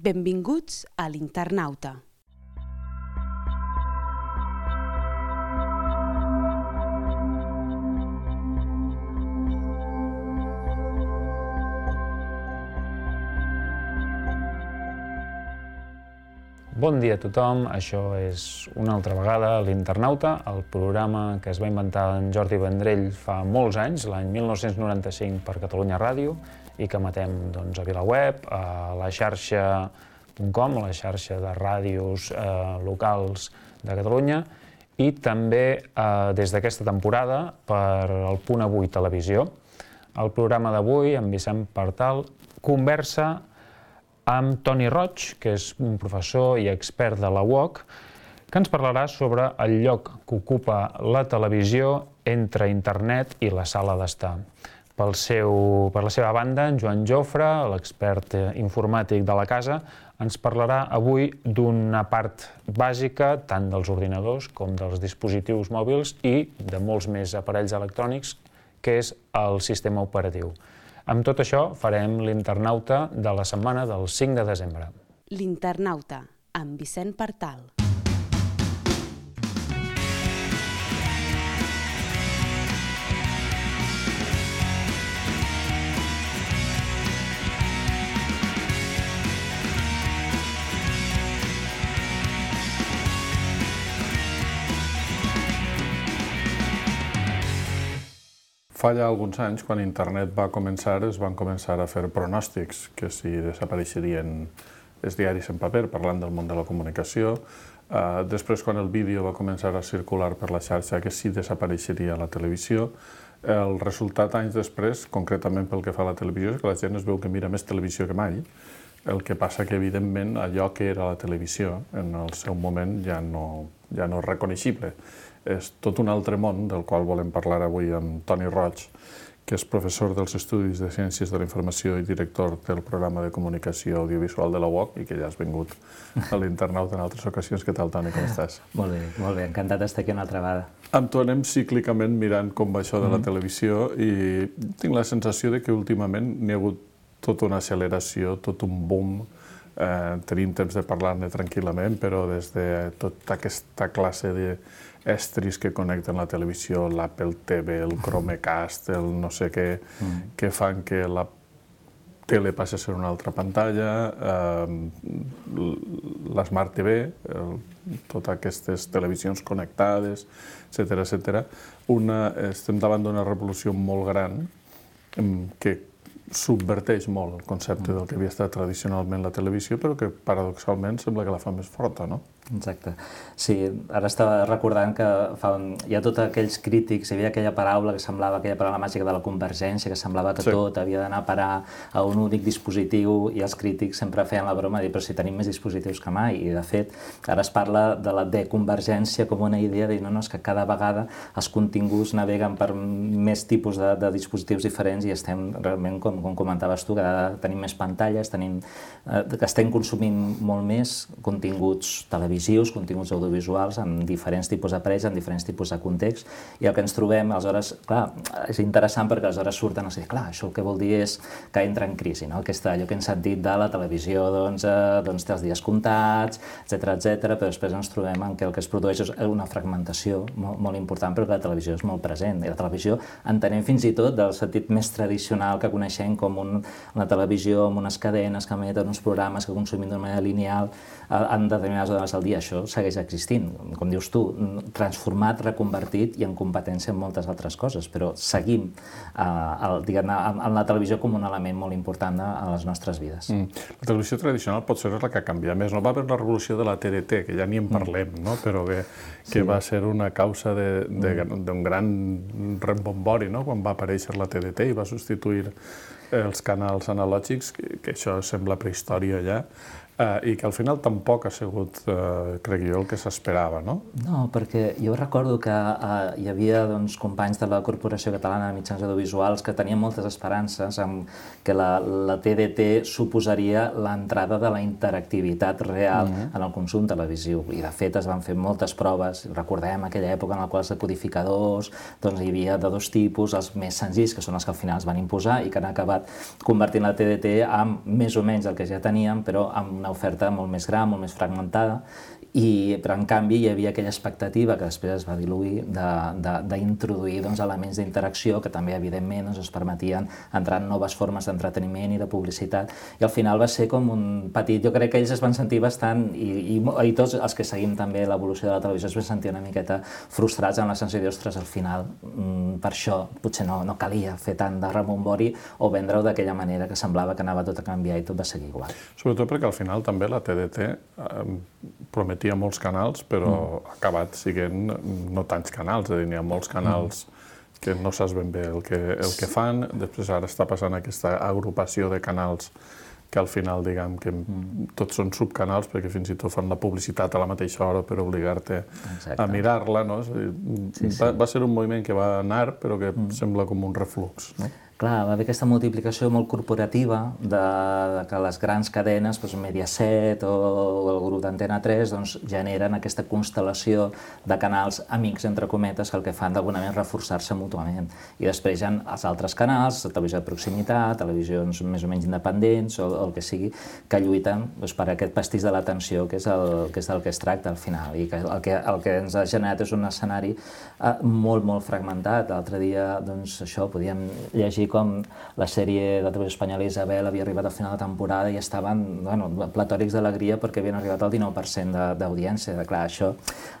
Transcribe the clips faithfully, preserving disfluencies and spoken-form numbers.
Benvinguts a l'Internauta. Bon dia a tothom, això és una altra vegada l'Internauta, el programa que es va inventar en Jordi Vendrell fa molts anys, l'any mil nou-cents noranta-cinc per Catalunya Ràdio, i que emetem doncs, a VilaWeb, a la xarxa punt com, la xarxa de ràdios eh, locals de Catalunya, i també eh, des d'aquesta temporada per el Punt Avui Televisió. El programa d'avui, amb Vicent Partal, conversa amb Toni Roig, que és un professor i expert de la U O C, que ens parlarà sobre el lloc que ocupa la televisió entre internet i la sala d'estar. Pel seu, per la seva banda, en Joan Jofre, l'expert informàtic de la casa, ens parlarà avui d'una part bàsica tant dels ordinadors com dels dispositius mòbils i de molts més aparells electrònics, que és el sistema operatiu. Amb tot això farem l'Internauta de la setmana del cinc de desembre. L'Internauta, amb Vicent Partal. Fa ja alguns anys, quan internet va començar, es van començar a fer pronòstics que si desapareixerien els diaris en paper, parlant del món de la comunicació. Uh, després, quan el vídeo va començar a circular per la xarxa, que si desapareixeria la televisió. El resultat, anys després, concretament pel que fa a la televisió, és que la gent es veu que mira més televisió que mai. El que passa que, evidentment, allò que era la televisió, en el seu moment, ja no, ja no és reconeixible. És tot un altre món del qual volem parlar avui amb Toni Roig, que és professor dels Estudis de Ciències de la Informació i director del programa de comunicació audiovisual de la U O C i que ja has vingut a l'Internauta en altres ocasions. Què tal, Toni, com estàs? Molt bé, molt bé, encantat d'estar aquí una altra vegada. Amb tu anem cíclicament mirant com va això de la televisió i tinc la sensació de que últimament n'hi ha hagut tota una acceleració, tot un boom. Eh, tenim temps de parlar-ne tranquil·lament, però des de tota aquesta classe d'estris que connecten la televisió, l'Apple T V, el Chromecast, el no sé què, mm. que fan que la tele passi a ser una altra pantalla, eh, l'Smart T V, eh, totes aquestes televisions connectades, etcètera, etcètera. Una, estem davant d'una revolució molt gran que subverteix molt el concepte del que havia estat tradicionalment la televisió, però que paradoxalment sembla que la fa més forta, no? Exacte. Sí, ara estava recordant que fa, hi ha tots aquells crítics, hi havia aquella paraula que semblava, aquella paraula màgica de la convergència, que semblava que sí. Tot havia d'anar a parar a un únic dispositiu, i els crítics sempre feien la broma de dir, però si tenim més dispositius que mai, i de fet, ara es parla de la deconvergència com una idea de dir, no, no, és que cada vegada els continguts naveguen per més tipus de, de dispositius diferents i estem realment, com, com comentaves tu, que tenim més pantalles, tenim, eh, que estem consumint molt més continguts televisius, continguts audiovisuals amb diferents tipus d'aparells, amb diferents tipus de context, i el que ens trobem, aleshores, clar, és interessant perquè aleshores surten a dir, clar, això el que vol dir és que entra en crisi, no? Aquesta, allò que hem sentit de la televisió, doncs, eh, doncs té els dies comptats, etcètera, etcètera, però després ens trobem en que el que es produeix és una fragmentació molt, molt important, però que la televisió és molt present, i la televisió entenem fins i tot del sentit més tradicional que coneixem com un, una televisió amb unes cadenes que emeten uns programes que consumim d'una manera lineal en determinades hores al dia. Això segueix existint, com dius tu, transformat, reconvertit i en competència en moltes altres coses, però seguim eh, el, diguem, en la televisió com un element molt important a les nostres vides. Mm. La televisió tradicional pot ser la que ha canviat més. No va haver la revolució de la T D T, que ja ni en parlem, mm. no? Però que, que sí. Va ser una causa d'un mm. gran rembombori, no? Quan va aparèixer la T D T i va substituir els canals analògics, que, que això sembla prehistòria ja. Uh, i que al final tampoc ha sigut, uh, crec jo, el que s'esperava, no? No, perquè jo recordo que uh, hi havia doncs, companys de la Corporació Catalana de Mitjans Audiovisuals que tenien moltes esperances en que la, la T D T suposaria l'entrada de la interactivitat real mm-hmm. en el consum televisiu. I, de fet, es van fer moltes proves. Recordem aquella època en la qual els decodificadors doncs, hi havia de dos tipus, els més senzills, que són els que al final es van imposar i que han acabat convertint la T D T en més o menys el que ja teníem, però amb una oferta molt més gran, molt més fragmentada, i, però en canvi hi havia aquella expectativa que després es va diluir d'introduir doncs, elements d'interacció que també evidentment doncs, ens permetien entrar en noves formes d'entreteniment i de publicitat, i al final va ser com un petit, jo crec que ells es van sentir bastant, i, i, i tots els que seguim també l'evolució de la televisió es van sentir una miqueta frustrats amb la sensació d'ostres, al final mm, per això potser no, no calia fer tant de rebombori o vendre-ho d'aquella manera que semblava que anava tot a canviar i tot va seguir igual. Sobretot perquè al final també la T D T eh, prometia molts canals, però mm. ha acabat siguent no tants canals, és a dir, n'hi ha molts canals mm. que no saps ben bé el que, el que fan, després ara està passant aquesta agrupació de canals que al final, diguem, que mm. tots són subcanals, perquè fins i tot fan la publicitat a la mateixa hora per obligar-te a mirar-la, no? És a dir, sí, sí. Va, va ser un moviment que va anar, però que mm. sembla com un reflux, no? Clar, va haver aquesta multiplicació molt corporativa de, de que les grans cadenes, doncs Mediaset o el grup d'Antena tres, doncs, generen aquesta constel·lació de canals amics, entre cometes, que el que fan d'alguna manera reforçar-se mútuament. I després hi ha els altres canals, la televisió de proximitat, televisions més o menys independents o, o el que sigui, que lluiten doncs, per aquest pastís de l'atenció, que és el que és del que es tracta al final. I que el, que el que ens ha generat és un escenari eh, molt, molt fragmentat. L'altre dia, doncs, això, podíem llegir com la sèrie de televisió espanyola Isabel havia arribat al final de temporada i estaven bueno, platòrics d'alegria perquè havien arribat al dinou per cent d'audiència. Clar, això...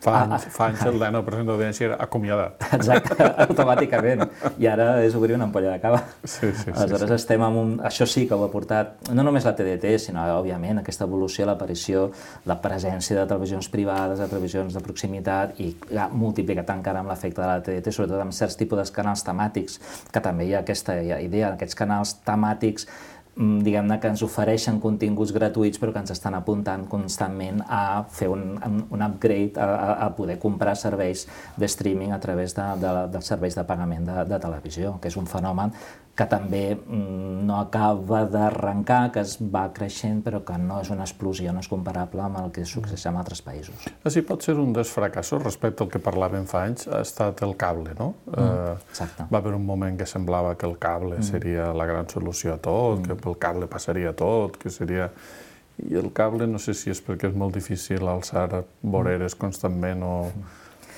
Fa anys, fa anys el dinou per cent d'audiència era acomiadat. Exacte, automàticament. I ara és obrir una ampolla de cava. Sí, sí, sí. Aleshores estem amb un... Això sí que ho ha portat, no només la T D T, sinó, òbviament, aquesta evolució, l'aparició, la presència de televisions privades, de televisions de proximitat, i ha multiplicat encara amb l'efecte de la T D T, sobretot amb certs tipus de canals temàtics, que també hi ha aquesta idea, aquests canals temàtics, diguem-ne, que ens ofereixen continguts gratuïts però que ens estan apuntant constantment a fer un, un upgrade, a, a poder comprar serveis de streaming a través de, de, de serveis de pagament de, de televisió, que és un fenomen que també no acaba d'arrencar, que es va creixent, però que no és una explosió, no és comparable amb el que succeeix en altres països. Així pot ser un dels fracassos respecte al que parlàvem fa anys, ha estat el cable, no? Mm, exacte. Va haver un moment que semblava que el cable seria la gran solució a tot, mm. que pel cable passaria tot, que seria... I el cable no sé si és perquè és molt difícil alçar voreres constantment o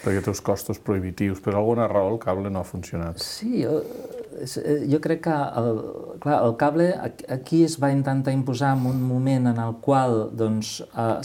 perquè té uns costos prohibitius, per alguna raó el cable no ha funcionat. Sí, jo, jo crec que el, clar, el cable aquí es va intentar imposar en un moment en el qual doncs, eh,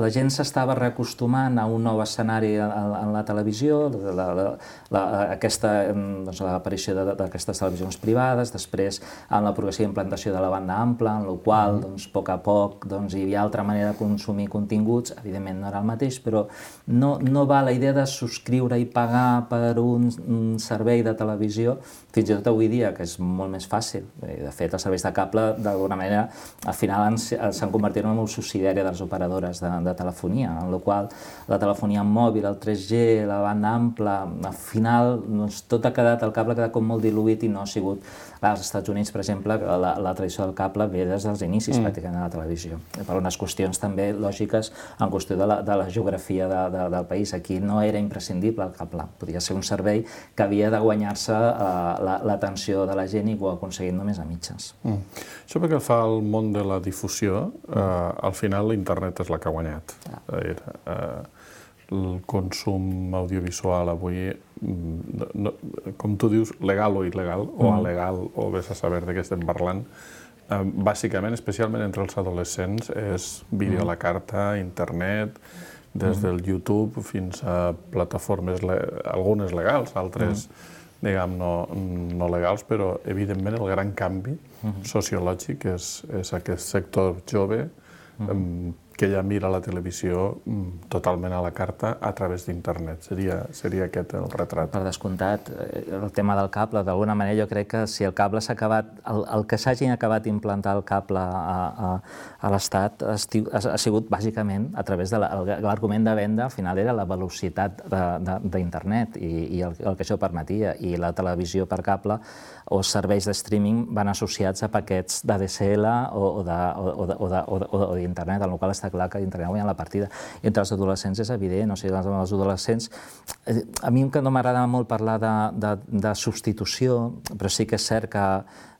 la gent s'estava reacostumant a un nou escenari en la televisió, la, la, la, aquesta, doncs, l'aparició d'aquestes televisions privades, després en la progressiva implantació de la banda ampla, en la qual doncs, a poc a poc doncs, hi havia altra manera de consumir continguts, evidentment no era el mateix, però no, no va la idea de subscriure i pagar per un, un servei de televisió, fins i tot avui dia, que és molt més fàcil. De fet, els serveis de cable, d'alguna manera, al final s'han convertit en una subsidiària de les operadores de, de telefonia, en la qual la telefonia mòbil, el tres G, la banda ampla, al final doncs, tot ha quedat, el cable ha quedat com molt diluït i no ha sigut... Clar, als Estats Units, per exemple, la, la tradició del cable ve des dels inicis, mm. pràcticament, de la televisió. Per unes qüestions també lògiques en qüestió de la, de la geografia de, de, del país. Aquí no era imprescindible el cable, podia ser un servei que havia de guanyar-se eh, l'atenció de la gent i ho ha aconseguit només a mitges. Mm. Això perquè fa el món de la difusió, eh, al final l'internet és la que ha guanyat. Ah. Eh, el consum audiovisual avui, no, no, com tu dius, legal o il·legal, mm. o alegal, o vés a saber de què estem parlant, eh, bàsicament, especialment entre els adolescents, és vídeo a la carta, internet, des del YouTube fins a plataformes, le algunes legals, altres, mm. diguem, no, no legals, però evidentment el gran canvi mm. sociològic és, és aquest sector jove mm. que ja mira la televisió totalment a la carta a través d'internet. Seria, seria aquest el retrat. Per descomptat, el tema del cable, d'alguna manera jo crec que si el cable s'ha acabat, el, el que s'hagin acabat d'implantar el cable a, a, a l'Estat ha, ha sigut bàsicament a través de l'argument de venda, al final era la velocitat d'internet i, i el, el que això permetia. I la televisió per cable o serveis de streaming van associats a paquets d'A D S L o d'internet, en el qual està clar que l'internet guanya la partida. I entre els adolescents és evident, o sigui, els adolescents... A mi que no m'agrada molt parlar de, de, de substitució, però sí que és cert que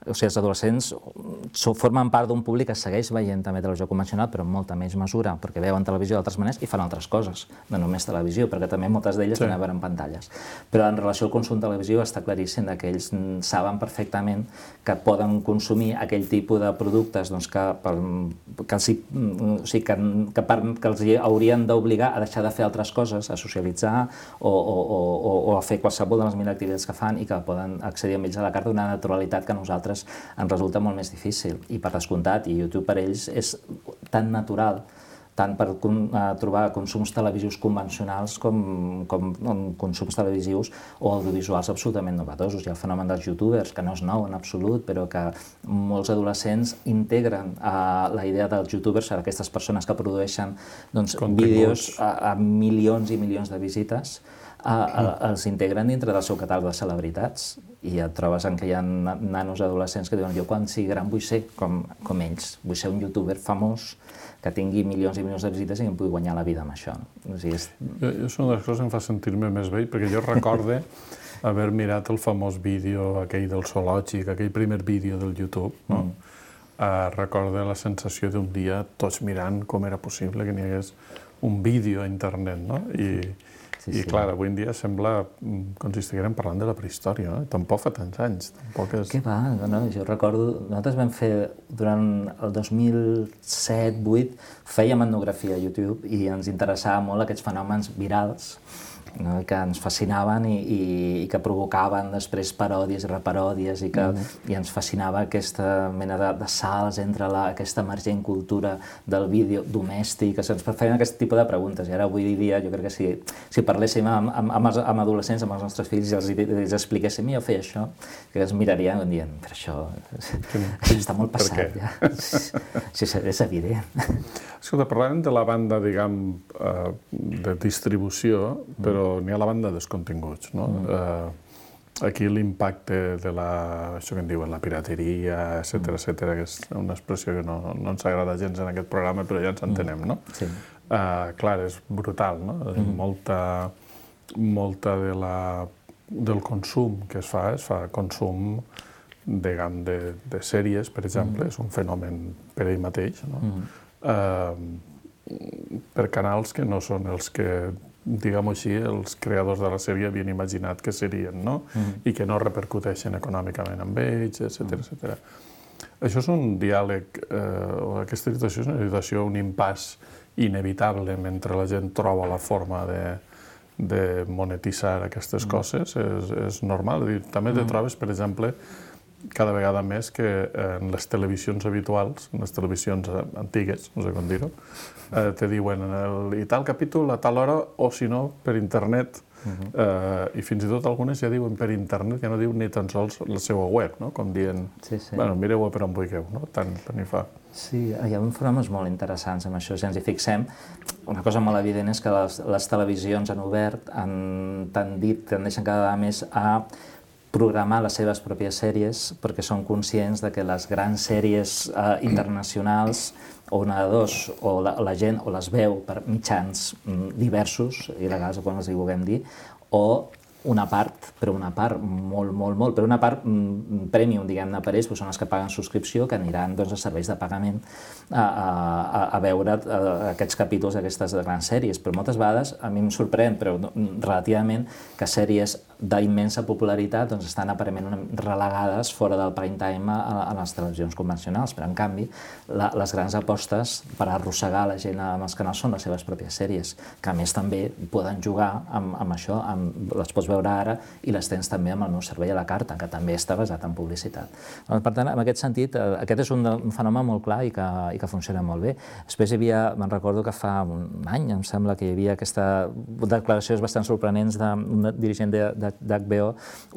o sigui, els adolescents formen part d'un públic que segueix veient també televisió convencional, però en molta menys mesura, perquè veuen televisió d'altres maneres i fan altres coses, no només televisió, perquè també moltes d'elles sí. Van a veure en pantalles. Però en relació al consum televisiu està claríssim que ells saben perfectament que poden consumir aquell tipus de productes doncs, que, que, els, o sigui, que, que, per, que els haurien d'obligar a deixar de fer altres coses, a socialitzar o, o, o, o a fer qualsevol de les mil activitats que fan i que poden accedir amb ells a la carta d'una naturalitat que a nosaltres ens resulta molt més difícil. I per descomptat, i YouTube per ells és tan natural, tant per trobar consums televisius convencionals com, com consums televisius o audiovisuals absolutament novedosos. Hi ha el fenomen dels youtubers, que no és nou en absolut, però que molts adolescents integren a la idea dels youtubers, a aquestes persones que produeixen doncs, vídeos a, a milions i milions de visites, A, a, els integren dintre del seu catàleg de celebritats i et trobes en què hi ha nanos adolescents que diuen jo quan sigui gran vull ser com, com ells, vull ser un youtuber famós que tingui milions i milions de visites i que em pugui guanyar la vida amb això. O sigui, és... jo, jo és una de les coses que em fa sentir-me més vell, perquè jo recorde haver mirat el famós vídeo aquell del zoològic, aquell primer vídeo del YouTube, no? Mm. Uh, recorde la sensació d'un dia tots mirant com era possible que n'hi hagués un vídeo a internet, no? I, Sí, I, sí. clar, avui en dia sembla com si estiguérem parlant de la prehistòria, no? Tampoc fa tants anys, tampoc és... Què va? No, jo recordo... Nosaltres vam fer, durant el dos mil set vuit, fèiem etnografia a YouTube i ens interessava molt aquests fenòmens virals, no? Que ens fascinaven i, i, i que provocaven després paròdies i reparòdies i que mm. i ens fascinava aquesta mena de, de salts entre la, aquesta emergent cultura del vídeo domèstic, que se'ns feien aquest tipus de preguntes. I ara avui dia jo crec que si, si parléssim amb, amb, amb, amb adolescents, amb els nostres fills, i els, els expliquéssim jo feia això, que es mirarien i dient, però això, això està molt passat ja. Això és evident. Escolta, parlàvem de la banda, diguem, de distribució, però n'hi ha la banda dels continguts, no? Mm. Uh, aquí l'impacte de la, això que en diuen, la pirateria, etcètera, etcètera, que és una expressió que no, no ens agrada gens en aquest programa, però ja ens entenem, no? Sí. Uh, clar, és brutal, no? Mm. Molta, molta de la, del consum que es fa, es fa consum, diguem, de, de sèries, per exemple, mm. és un fenomen per ell mateix, no? Mm. Uh, per canals que no són els que, diguem-ho així, els creadors de la sèrie havien imaginat que serien, no? Mm. I que no repercuteixen econòmicament amb ells, etcètera, mm. etcètera. Això és un diàleg, eh, o aquesta situació és una situació, un impàs inevitable mentre la gent troba la forma de, de monetitzar aquestes mm. coses, és, és normal. També te trobes, per exemple, cada vegada més que en les televisions habituals, en les televisions antigues, no sé com dir-ho, eh, te diuen el, i tal capítol a tal hora, o si no, per internet, uh-huh. eh, i fins i tot algunes ja diuen per internet, ja no diuen ni tan sols la seva web, no? Com dient, sí, sí. Bueno, mireu per on vulgueu, no? Tant, tant hi fa. Sí, hi ha fenòmens molt interessants amb això. Si ens hi fixem, una cosa molt evident és que les, les televisions han obert, han, han dit, tendeixen cada vegada més a programar les seves pròpies sèries perquè són conscients de que les grans sèries eh, internacionals o una de dos, o la, la gent o les veu per mitjans mm, diversos, il·legals o com els hi vulguem dir, o una part, però una part molt, molt, molt, però una part mm, premium, diguem-ne, per ells, són els que paguen subscripció, que aniran doncs, a serveis de pagament a, a, a veure a, aquests capítols d'aquestes grans sèries. Però moltes vegades, a mi em sorprèn, però relativament, que sèries d'immensa popularitat doncs, estan aparentment relegades fora del prime time a, a les televisions convencionals, però en canvi la, les grans apostes per arrossegar la gent amb els canals són les seves pròpies sèries, que a més també poden jugar amb, amb això, amb, les pots veure ara i les tens també amb el meu servei a la carta, que també està basat en publicitat. Per tant, en aquest sentit, aquest és un, un fenomen molt clar i que, i que funciona molt bé. Després hi havia, me'n recordo que fa un any, em sembla que hi havia aquesta declaracions bastant sorprenents d'un dirigent de, de d'H B O,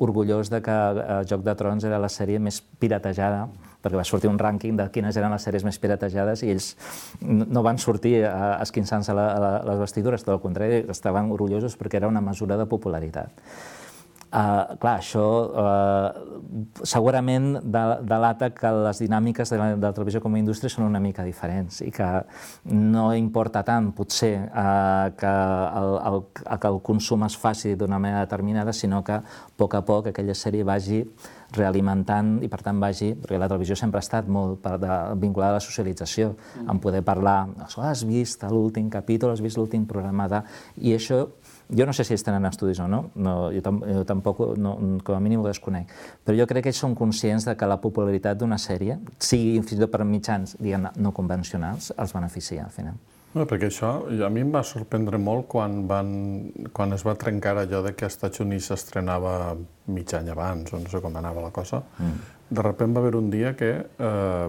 orgullós de que eh, Joc de Trons era la sèrie més piratejada, perquè va sortir un rànquing de quines eren les sèries més piratejades i ells no van sortir esquinçant-se a, a, a les vestidures, tot el contrari, estaven orgullosos perquè era una mesura de popularitat. Uh, clar, això uh, segurament delata que les dinàmiques de la, de la televisió com a indústria són una mica diferents i que no importa tant, potser, uh, que, el, el, que el consum es faci d'una manera determinada, sinó que a poc a poc aquella sèrie vagi realimentant i per tant vagi, perquè la televisió sempre ha estat molt vinculada a la socialització, en poder parlar, has vist l'últim capítol, has vist l'últim programa de... I això, jo no sé si ells tenen estudis o no, no jo, tam jo tampoc, no, com a mínim ho desconec, però jo crec que ells són conscients de que la popularitat d'una sèrie, sigui fins i tot per mitjans, diguem, no convencionals, els beneficia al final. No, perquè això a mi em va sorprendre molt quan, van, quan es va trencar allò de que als Estats Units s'estrenava mig any abans, o no sé com anava la cosa. Mm. De sobte va haver un dia que eh,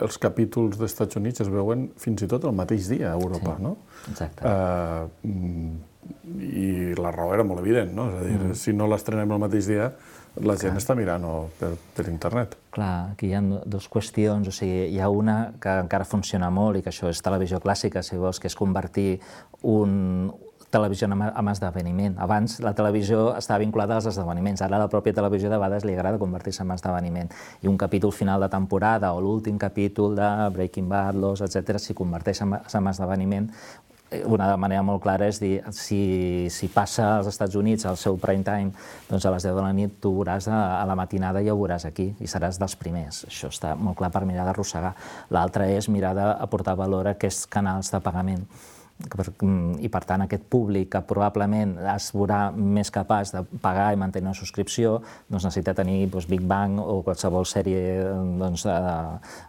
els capítols dels Estats Units es veuen fins i tot el mateix dia a Europa, sí, no? Exacte. Eh, I la raó era molt evident, no? És a dir, mm. si no l'estrenem el mateix dia, la gent Clar. està mirant per, per internet. Clar, aquí hi ha dues qüestions, o sigui, hi ha una que encara funciona molt i que això és televisió clàssica, si vols, que és convertir un televisió en esdeveniment. Abans la televisió estava vinculada als esdeveniments, ara la pròpia televisió de vegades li agrada convertir-se en esdeveniment. I un capítol final de temporada o l'últim capítol de Breaking Bad, Lost, etcètera, s'hi converteix en esdeveniment. Una manera molt clara és dir, si, si passa als Estats Units al seu prime time, doncs a les deu de la nit tu veuràs a, a la matinada i ja ho veuràs aquí i seràs dels primers. Això està molt clar per mirar d'arrossegar. L'altre és mirar d'aportar valor a aquests canals de pagament. I per tant aquest públic que probablement es veurà més capaç de pagar i mantenir una subscripció doncs necessita tenir doncs, Big Bang o qualsevol sèrie doncs, o,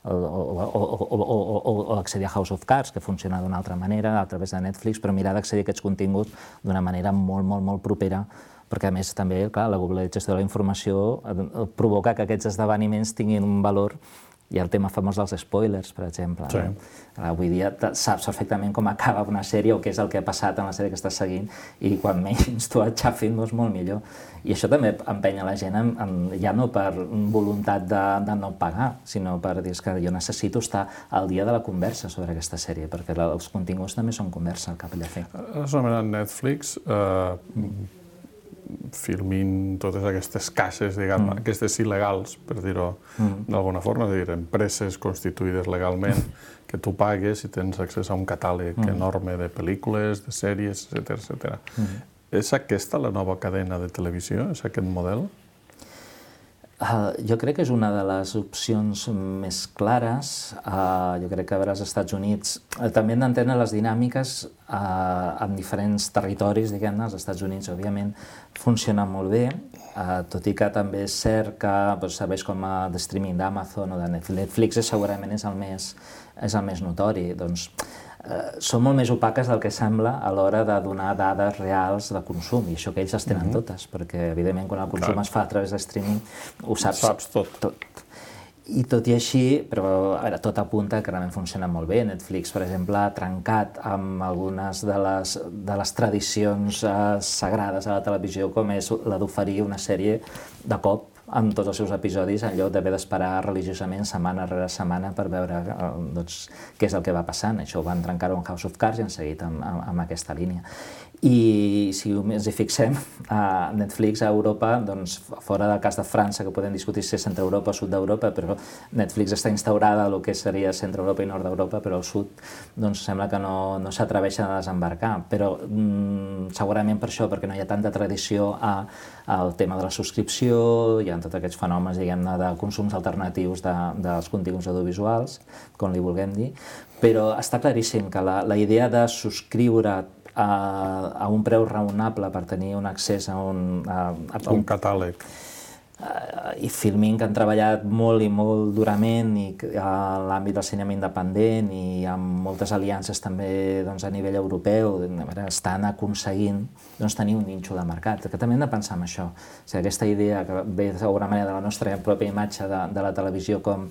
o, o, o, o, o accedir a House of Cards, que funciona d'una altra manera a través de Netflix, però mirar d'accedir a aquests continguts d'una manera molt, molt, molt propera, perquè a més també clar, la globalització de la informació provoca que aquests esdeveniments tinguin un valor. Hi ha el tema famós dels spoilers, per exemple. Sí. No? Avui dia saps perfectament com acaba una sèrie o què és el que ha passat en la sèrie que estàs seguint i quan menys tu et xafin, doncs molt millor. I això també empenya la gent, en, en, ja no per voluntat de, de no pagar, sinó per dir que jo necessito estar al dia de la conversa sobre aquesta sèrie, perquè la, els continguts també són conversa al cap i a la fi. Has anomenat Netflix, eh, filmint totes aquestes cases, diguem, mm. aquestes il·legals, per dir-ho mm. d'alguna forma, és a dir, empreses constituïdes legalment, que tu pagues i tens accés a un catàleg mm. enorme de pel·lícules, de sèries, etcètera, etcètera. Mm. És aquesta la nova cadena de televisió? És aquest model? Uh, jo crec que és una de les opcions més clares. Uh, jo crec que a veure als Estats Units uh, també hem d'entendre les dinàmiques uh, en diferents territoris, diguem-ne. Als Estats Units, òbviament, funciona molt bé, uh, tot i que també és cert que doncs, serveis com uh, de streaming d'Amazon o de Netflix segurament és el més, és el més notori. Doncs, Uh, són molt més opaques del que sembla a l'hora de donar dades reals de consum, i això que ells les tenen mm-hmm. totes, perquè evidentment quan el consum Clar. es fa a través de streaming ho saps, saps tot. tot. I tot i així, però a veure, tot apunta que realment funciona molt bé. Netflix, per exemple, ha trencat amb algunes de les, de les tradicions uh, sagrades a la televisió, com és la d'oferir una sèrie de cop amb tots els seus episodis, en lloc d'haver d'esperar religiosament setmana rere setmana per veure eh, doncs, què és el que va passant. Això ho van trencar-ho en House of Cards i han seguit amb, amb, amb aquesta línia. I si ens hi fixem, a Netflix a Europa, doncs, fora del cas de França, que podem discutir si és centre Europa o sud d'Europa, però Netflix està instaurada a el que seria centre Europa i nord d'Europa, però al sud doncs, sembla que no, no s'atreveixen a desembarcar. Però mm, segurament per això, perquè no hi ha tanta tradició a, al tema de la subscripció, hi ha tots aquests fenòmens, diguem-ne, de consums alternatius de, dels continguts audiovisuals, com li vulguem dir, però està claríssim que la, la idea de subscriure a, a un preu raonable per tenir un accés a un, a, a, a un catàleg. Uh, i Filmin, que han treballat molt i molt durament i a l'àmbit del cinema independent i amb moltes aliances també doncs, a nivell europeu, estan aconseguint doncs, tenir un nínxol de mercat, que també hem de pensar en això. O sigui, aquesta idea que ve d'alguna manera de la nostra pròpia imatge de, de la televisió com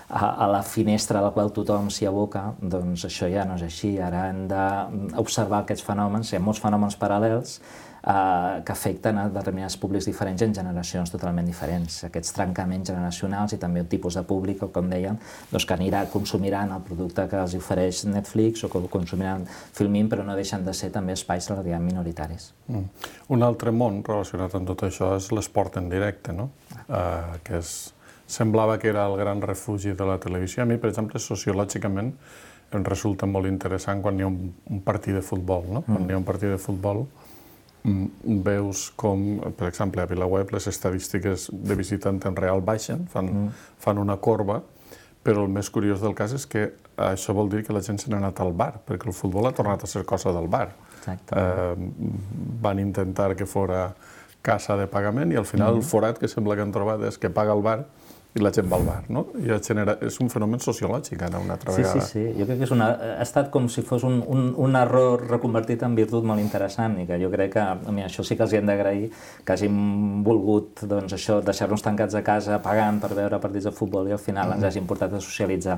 a, a la finestra a la qual tothom s'hi aboca, doncs això ja no és així. Ara hem d'observar aquests fenòmens, hi ha molts fenòmens paral·lels Uh, que afecten a determinats públics diferents en generacions totalment diferents. Aquests trencaments generacionals i també un tipus de públic, com dèiem, doncs que anirà, consumiran el producte que els ofereix Netflix o que consumiran Filmin, però no deixen de ser també espais relativament minoritaris. Mm. Un altre món relacionat amb tot això és l'esport en directe, no? Uh, que és, semblava que era el gran refugi de la televisió. A mi, per exemple, sociològicament em resulta molt interessant quan hi ha un, un partit de futbol, no? Mm. Quan hi ha un partit de futbol veus com, per exemple, a VilaWeb les estadístiques de visita en temps real baixen, fan, mm. fan una corba, però el més curiós del cas és que això vol dir que la gent se n'ha anat al bar, perquè el futbol ha tornat a ser cosa del bar. Eh, van intentar que fora casa de pagament i al final mm. el forat que sembla que han trobat és que paga el bar i la gent va al bar, no? I genera, és un fenomen sociològic, ara, una altra vegada. Sí, sí, sí. Jo crec que és una, ha estat com si fos un, un, un error reconvertit en virtut molt interessant i que jo crec que a mi això sí que els hi hem d'agrair que hagin volgut doncs, això, deixar-nos tancats a casa pagant per veure partits de futbol i al final ens hagin portat a socialitzar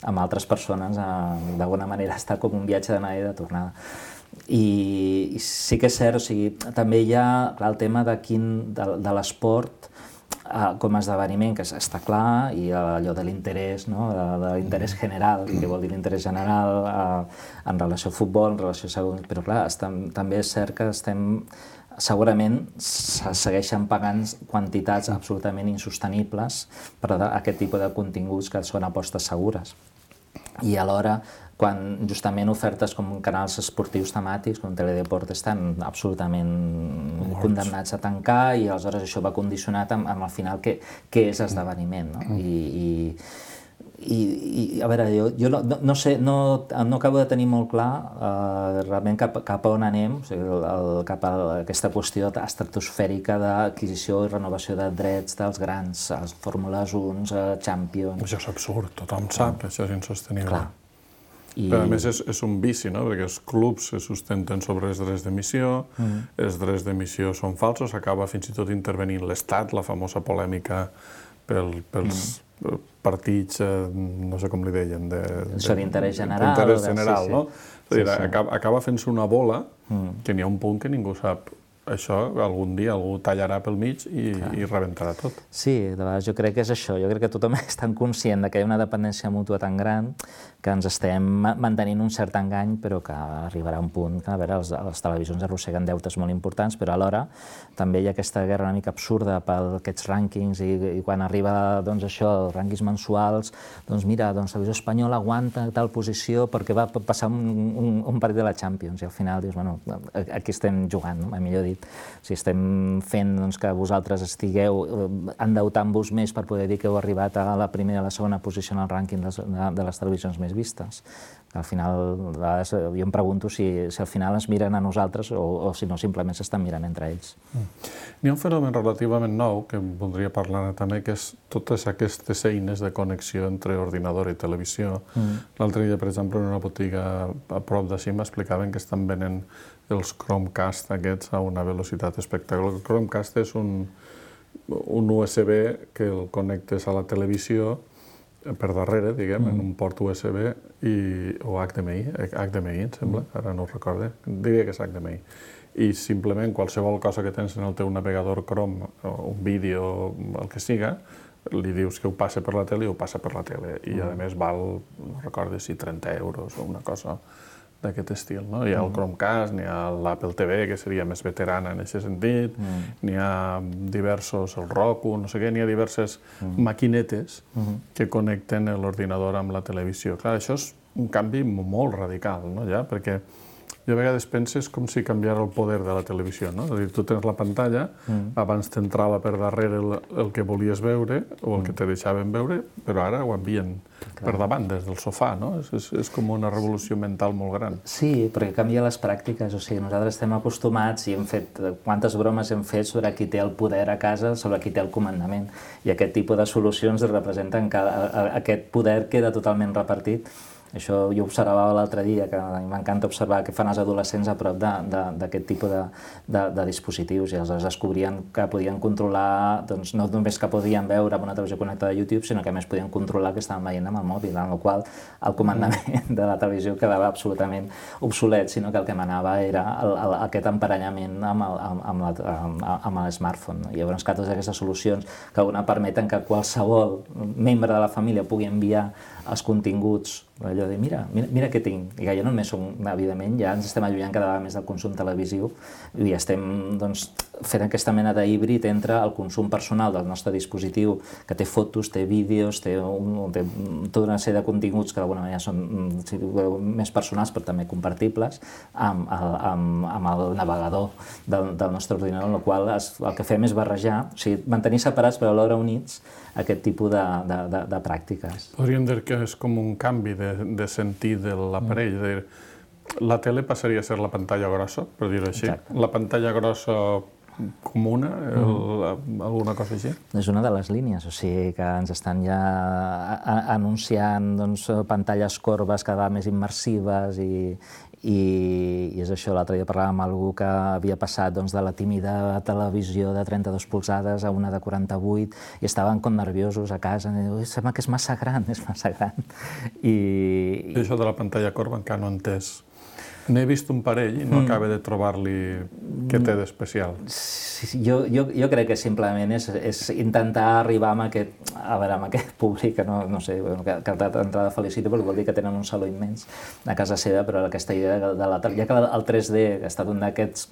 amb altres persones, d'alguna manera està com un viatge d'anada i de tornada. I, i sí que és cert, o sigui, també hi ha clar, el tema de, quin, de, de l'esport Uh, com a esdeveniment, que està clar, i uh, allò de l'interès, no? de, de l'interès general, que vol dir l'interès general uh, en relació al futbol, en relació a segon... Però clar, estem, també és cert que estem... Segurament se segueixen pagant quantitats absolutament insostenibles per a aquest tipus de continguts que són apostes segures. I alhora, quan justament ofertes com canals esportius temàtics, com Teledeport, estan absolutament Morts. condemnats a tancar i aleshores això va condicionat amb, amb al final què, què és esdeveniment. No? Mm. I, i, i, i, a veure, jo, jo no, no sé, no, no acabo de tenir molt clar uh, realment cap, cap a on anem, o sigui, el, el, cap a aquesta qüestió estratosfèrica d'adquisició i renovació de drets dels grans, els Fórmules un, Champions... Això és absurd, tothom sap que això és insostenible. Clar. I... Però a més és, és un vici, no? Perquè els clubs se sustenten sobre els drets d'emissió, mm. els drets d'emissió són falsos, acaba fins i tot intervenint l'Estat, la famosa polèmica pel, pels mm. partits, eh, no sé com li deien, de... Això d'interès general. D'interès general, sí, sí. no? És a dir, sí, sí. acaba, acaba fent-se una bola mm. que n'hi ha un punt que ningú sap. Això algun dia algú tallarà pel mig i, i rebentarà tot. Sí, de vegades jo crec que és això. Jo crec que tothom és tan conscient que hi ha una dependència mútua tan gran que ens estem mantenint un cert engany, però que arribarà un punt que, a veure, les, les televisions arrosseguen deutes molt importants, però alhora també hi ha aquesta guerra una mica absurda per aquests rànquings i, i quan arriba doncs, això, els rànquings mensuals, doncs mira, doncs, la televisió espanyola aguanta tal posició perquè va passar un, un, un partit de la Champions i al final dius, bueno, aquí estem jugant, no? Millor dit. O sigui, estem fent doncs, que vosaltres estigueu endeutant-vos més per poder dir que heu arribat a la primera i a la segona posició en el rànquing de, de les televisions més vistes. Al final, jo em pregunto si, si al final ens miren a nosaltres o, o si no simplement s'estan mirant entre ells. Mm. N'hi ha un fenomen relativament nou que voldria parlar també, que és totes aquestes eines de connexió entre ordinador i televisió. Mm. L'altre dia, per exemple, en una botiga a prop d'ací m'explicaven que estan venent els Chromecast aquests a una velocitat espectacular. El Chromecast és un, un U S B que el connectes a la televisió per darrere, diguem, mm. en un port U S B i, o H D M I, H D M I, em sembla, mm. ara no ho recorde, diria que és H D M I. I simplement qualsevol cosa que tens en el teu navegador Chrome, o un vídeo, el que siga, li dius que ho passa per la tele i ho passa per la tele. I mm. a més val, no recordo si trenta euros o una cosa d'aquest estil, no? Hi ha el Chromecast, n'hi ha l'Apple T V, que seria més veterana en aquest sentit, mm. n'hi ha diversos, el Roku, no sé què, n'hi ha diverses mm. maquinetes mm. que connecten l'ordinador amb la televisió. Clar, això és un canvi molt radical, no, ja? Perquè jo a vegades penses com si canviara el poder de la televisió, no? És a dir, tu tens la pantalla, mm. abans t'entrava per darrere el, el que volies veure o el mm. que te deixaven veure, però ara ho envien Clar. per davant, des del sofà, no? És, és, és com una revolució mental molt gran. Sí, perquè canvia les pràctiques, o sigui, nosaltres estem acostumats i hem fet, quantes bromes hem fet sobre qui té el poder a casa, sobre qui té el comandament, i aquest tipus de solucions representen que aquest poder queda totalment repartit. Això jo observava l'altre dia, que m'encanta observar què fan els adolescents a prop d'aquest tipus de, de, de dispositius i aleshores descobrien que podien controlar, doncs no només que podien veure amb una televisió connectada a YouTube, sinó que a més podien controlar que estaven veient amb el mòbil, en la qual el comandament de la televisió quedava absolutament obsolet, sinó que el que manava era el, el, aquest emparellament amb el, amb la, amb, amb el smartphone. I llavors que totes aquestes solucions que una permeten que qualsevol membre de la família pugui enviar els continguts, allò de mira, mira, mira què tinc, i que ja no només som, evidentment, ja ens estem allunyant cada vegada més del consum televisiu i estem doncs, fent aquesta mena d'híbrid entre el consum personal del nostre dispositiu, que té fotos, té vídeos, té, un, té tota una sèrie de continguts que d'alguna manera són sí, més personals però també compartibles, amb, amb, amb el navegador del, del nostre ordinador, en el qual es, el que fem és barrejar, o sigui, mantenir separats però alhora units aquest tipus de, de, de, de pràctiques. Podríem dir que és com un canvi de, de sentit de l'aparell. Mm. La tele passaria a ser la pantalla grossa, per dir-ho així. Exacte. La pantalla grossa comuna, el, mm. alguna cosa així? És una de les línies, o sigui que ens estan ja anunciant doncs, pantalles corbes cada vegada més immersives i, i, i és això, l'altre dia parlàvem amb algú que havia passat doncs, de la tímida televisió de trenta-dos polzades a una de quaranta-vuit i estaven com nerviosos a casa i diu, sembla que és massa gran, és massa gran. I, I això de la pantalla corba encara no he entès. N'he vist un parell i no mm. acaba de trobar-li què té d'especial. Sí, jo, jo, jo crec que simplement és, és intentar arribar amb aquest, a veure, amb aquest públic, que no, no sé, que, que d'entrada felicito perquè vol dir que tenen un saló immens a casa seva, però aquesta idea de, de la, ja que el tres D ha estat un d'aquests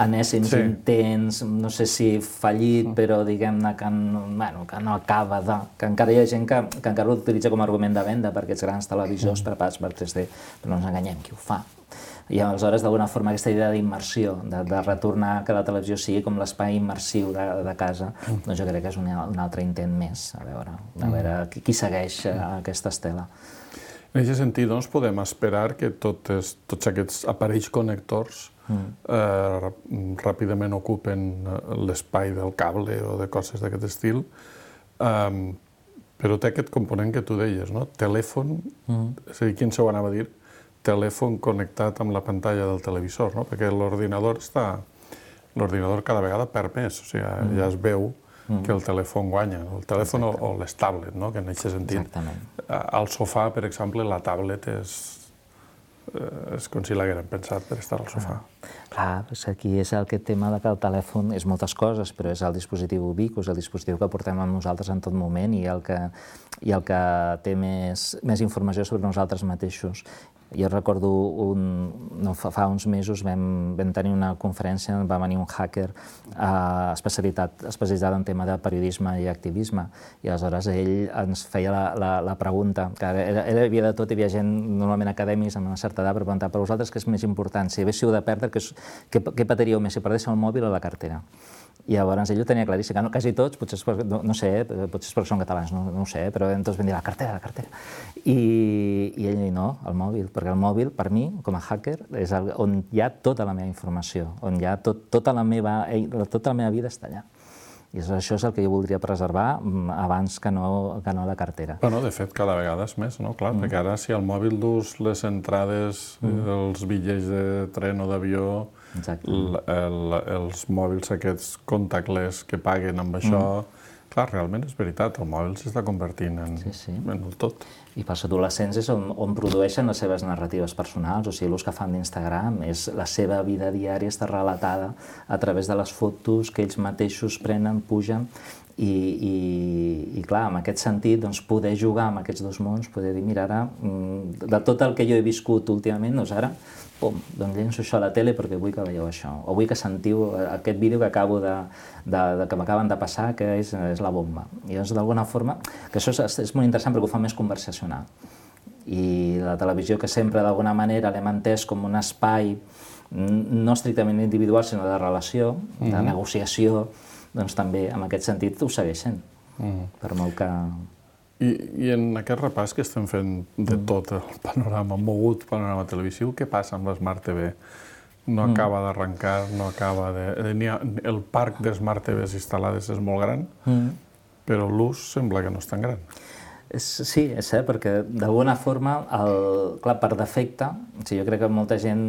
enèsims sí. intents, no sé si fallit, però diguem-ne que, bueno, que no acaba de... que encara hi ha gent que, que encara ho utilitza com a argument de venda per aquests grans televisors mm. preparats per tres D, però no ens enganyem, qui ho fa? I aleshores, d'alguna forma, aquesta idea d'immersió, de, de retornar que la televisió sigui com l'espai immersiu de, de casa, mm. doncs jo crec que és un, un altre intent més, a veure, a veure qui, qui segueix mm. aquesta estela. En aquest sentit, doncs, podem esperar que totes, tots aquests aparells connectors mm. eh, ràpidament ocupen l'espai del cable o de coses d'aquest estil, eh, però té aquest component que tu deies, no? Telèfon, mm. és a dir, quin se ho anava a dir? Telèfon connectat amb la pantalla del televisor, no? Perquè l'ordinador està... L'ordinador cada vegada perd més, o sigui, mm. ja es veu mm. que el telèfon guanya, el telèfon o, o les tablets, no? Que en aquest sentit, exactament. Al sofà, per exemple, la tablet és, és com si l'hagueren pensat per estar al sofà. Clar, és que aquí és aquest tema de que el telèfon és moltes coses, però és el dispositiu ubiqui, és el dispositiu que portem amb nosaltres en tot moment i el que, i el que té més, més informació sobre nosaltres mateixos. Jo recordo, un, no, fa, fa uns mesos vam, vam tenir una conferència on va venir un hacker eh, especialitat, especialitzat en tema de periodisme i activisme, i aleshores ell ens feia la, la, la pregunta, que era, era, havia de tot, hi havia gent normalment acadèmics amb una certa edat per preguntar per vosaltres què és més important, si haguéssiu de perdre, què, què, què patiríeu més, si perdéssiu el mòbil o la cartera? I llavors ell ho tenia claríssim, no, quasi tots, potser és perquè, no, no sé, potser és perquè són catalans, no, no ho sé, però tots van dir la cartera, la cartera. I, i ell no, el mòbil, perquè el mòbil, per mi, com a hacker, és el, on hi ha tota la meva informació, on hi ha tot, tota, la meva, tota la meva vida està allà. I això és el que jo voldria preservar abans que no, que no la cartera. Bueno, de fet, cada vegada és més, no? Clar, mm. perquè ara si al mòbil dus les entrades, mm. els bitllets de tren o d'avió, el, el, els mòbils aquests contactless que paguen amb això, mm. clar, realment és veritat, el mòbil s'està convertint en, sí, sí. en el tot. I pels adolescents és on, on produeixen les seves narratives personals, o sigui, l'ús que fan d'Instagram, és la seva vida diària està relatada a través de les fotos que ells mateixos prenen, pugen, i, i, i clar, en aquest sentit, doncs, poder jugar amb aquests dos mons, poder dir, mira, ara, de tot el que jo he viscut últimament, doncs ara, pum, doncs llenço això a la tele perquè vull que veieu això, o vull que sentiu aquest vídeo que acabo de, de, de que m'acaben de passar, que és, és la bomba. I doncs, d'alguna forma, que això és, és molt interessant perquè ho fa més conversacional. I la televisió, que sempre d'alguna manera l'hem entès com un espai no estrictament individual, sinó de relació, de mm-hmm. negociació, doncs també, en aquest sentit, ho segueixen, mm. per molt que... I, I en aquest repàs que estem fent de mm. tot el panorama, mogut panorama televisiu, què passa amb l'Smart T V? No mm. acaba d'arrencar, no acaba de... Ha, el parc de Smart T Vs instal·lades és molt gran, mm. però l'ús sembla que no és tan gran. És, sí, és cert, perquè d'alguna forma, el, clar, per defecte, o sigui, jo crec que molta gent,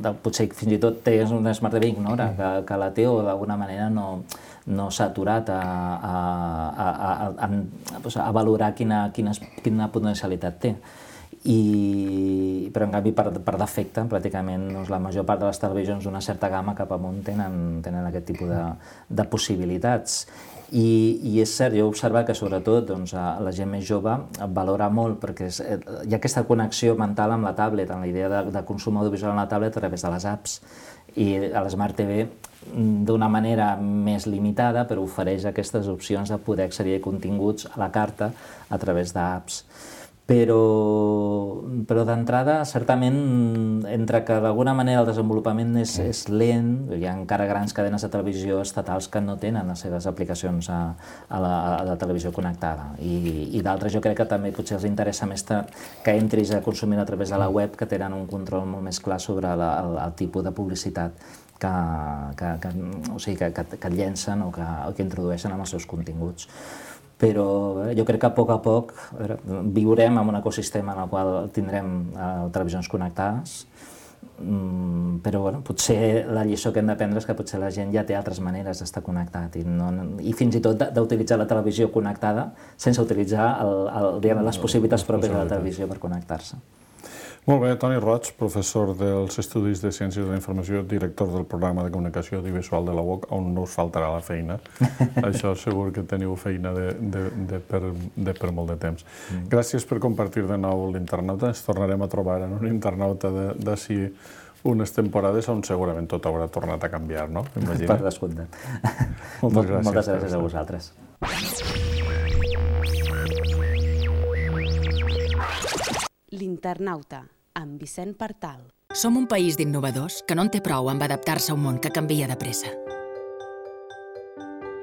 de, potser fins i tot té una Smart T V ignora que, que la té o d'alguna manera no, no s'ha aturat a, a, a, a, a, a valorar quina, quina, quina potencialitat té. I però en canvi per, per defecte pràcticament doncs, la major part de les televisions d'una certa gamma cap amunt tenen, tenen aquest tipus de, de possibilitats. I, I és cert, jo he observat que sobretot doncs, la gent més jove valora molt perquè és, hi ha aquesta connexió mental amb la tablet, amb la idea de, de consum audiovisual en la tablet a través de les apps, i a l'Smart T V d'una manera més limitada, però ofereix aquestes opcions de poder accedir a continguts a la carta a través d'apps. Però, però d'entrada, certament, entre que d'alguna manera el desenvolupament és, és lent, hi ha encara grans cadenes de televisió estatals que no tenen les seves aplicacions a, a, la, a la televisió connectada. I, i d'altres jo crec que també potser els interessa més que entris a consumir a través de la web, que tenen un control molt més clar sobre la, el, el tipus de publicitat que, que, que, o sigui, que, que, que llencen o que, o que introdueixen en els seus continguts. Però jo crec que a poc a poc veure, viurem en un ecosistema en el qual tindrem eh, televisions connectades, mm, però bueno, potser la lliçó que hem d'aprendre és que potser la gent ja té altres maneres d'estar connectat i, no, i fins i tot d'utilitzar la televisió connectada sense utilitzar el, el, diguem, les possibilitats pròpies de la televisió per connectar-se. Molt bé, Toni Roig, professor dels Estudis de Ciències de la Informació, director del programa de comunicació audiovisual de la U O C, on no us faltarà la feina. Això segur que teniu feina de, de, de, per, de per molt de temps. Mm. Gràcies per compartir de nou l'internauta. Ens tornarem a trobar en un internauta d'ací unes temporades on segurament tot haurà tornat a canviar, no? Imagina. Per descomptat. Moltes gràcies. Moltes gràcies a vosaltres. L'internauta, amb Vicent Partal. Som un país d'innovadors que no en té prou amb adaptar-se a un món que canvia de pressa.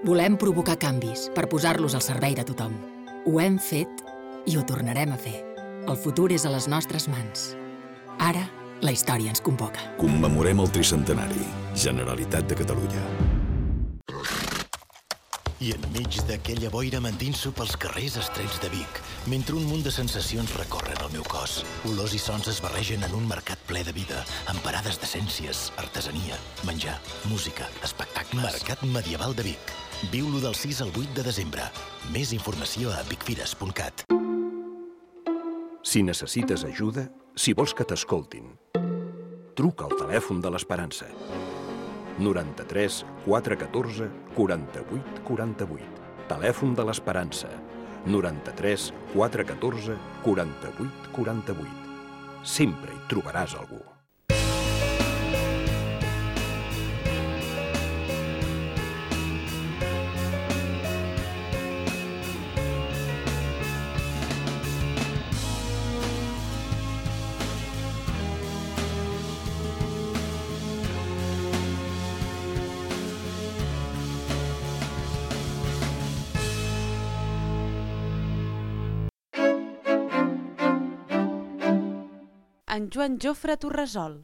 Volem provocar canvis per posar-los al servei de tothom. Ho hem fet i ho tornarem a fer. El futur és a les nostres mans. Ara, la història ens convoca. Commemorem el tricentenari. Generalitat de Catalunya. I enmig d'aquella boira mentint-s'ho pels carrers estrets de Vic, mentre un munt de sensacions recorren el meu cos. Olors i sons es barregen en un mercat ple de vida, amb parades d'essències, artesania, menjar, música, espectacles. Mercat Medieval de Vic. Viu-lo del sis al vuit de desembre. Més informació a vicfires punt cat. Si necessites ajuda, si vols que t'escoltin, truca al telèfon de l'Esperança. noranta-tres quatre catorze quaranta-vuit quaranta-vuit. Telèfon de l'Esperança. noranta-tres quatre catorze quaranta-vuit quaranta-vuit. Sempre hi trobaràs algú. En Joan Jofre Torresol.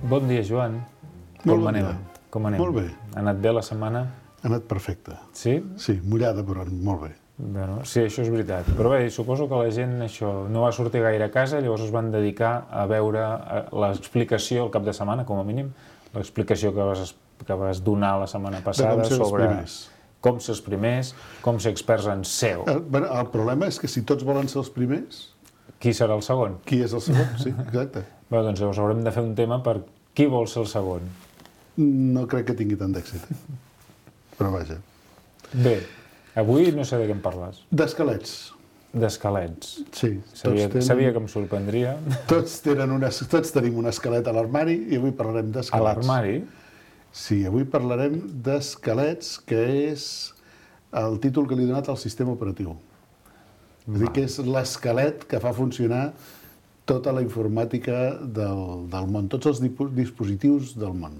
Bon dia, Joan. Molt Com bon anem? dia. Com anem? Molt bé. Ha anat bé la setmana? Ha anat perfecte. Sí? Sí, mullada, però molt bé. Bueno, sí, això és veritat. Però bé, suposo que la gent això no va sortir gaire a casa, llavors es van dedicar a veure l'explicació el cap de setmana, com a mínim, l'explicació que vas, que vas donar la setmana passada com ser els sobre primers. com ser els primers, com ser experts en S E O. El, bueno, el problema és que si tots volen ser els primers, Qui serà el segon? qui és el segon? Sí, exacte. Bé, doncs llavors haurem de fer un tema per qui vol ser el segon. No crec que tingui tant d'èxit. Però vaja. Bé, avui no sé de què em parles. D'esquelets. D'esquelets. Sí. Sabia, tenen, sabia que em sorprendria. Tots, tenen una, tots tenim un esquelet a l'armari i avui parlarem d'esquelets. A l'armari? Sí, avui parlarem d'esquelets, que és el títol que li he donat al sistema operatiu. És a dir, que és l'esquelet que fa funcionar tota la informàtica del, del món, tots els dispositius del món.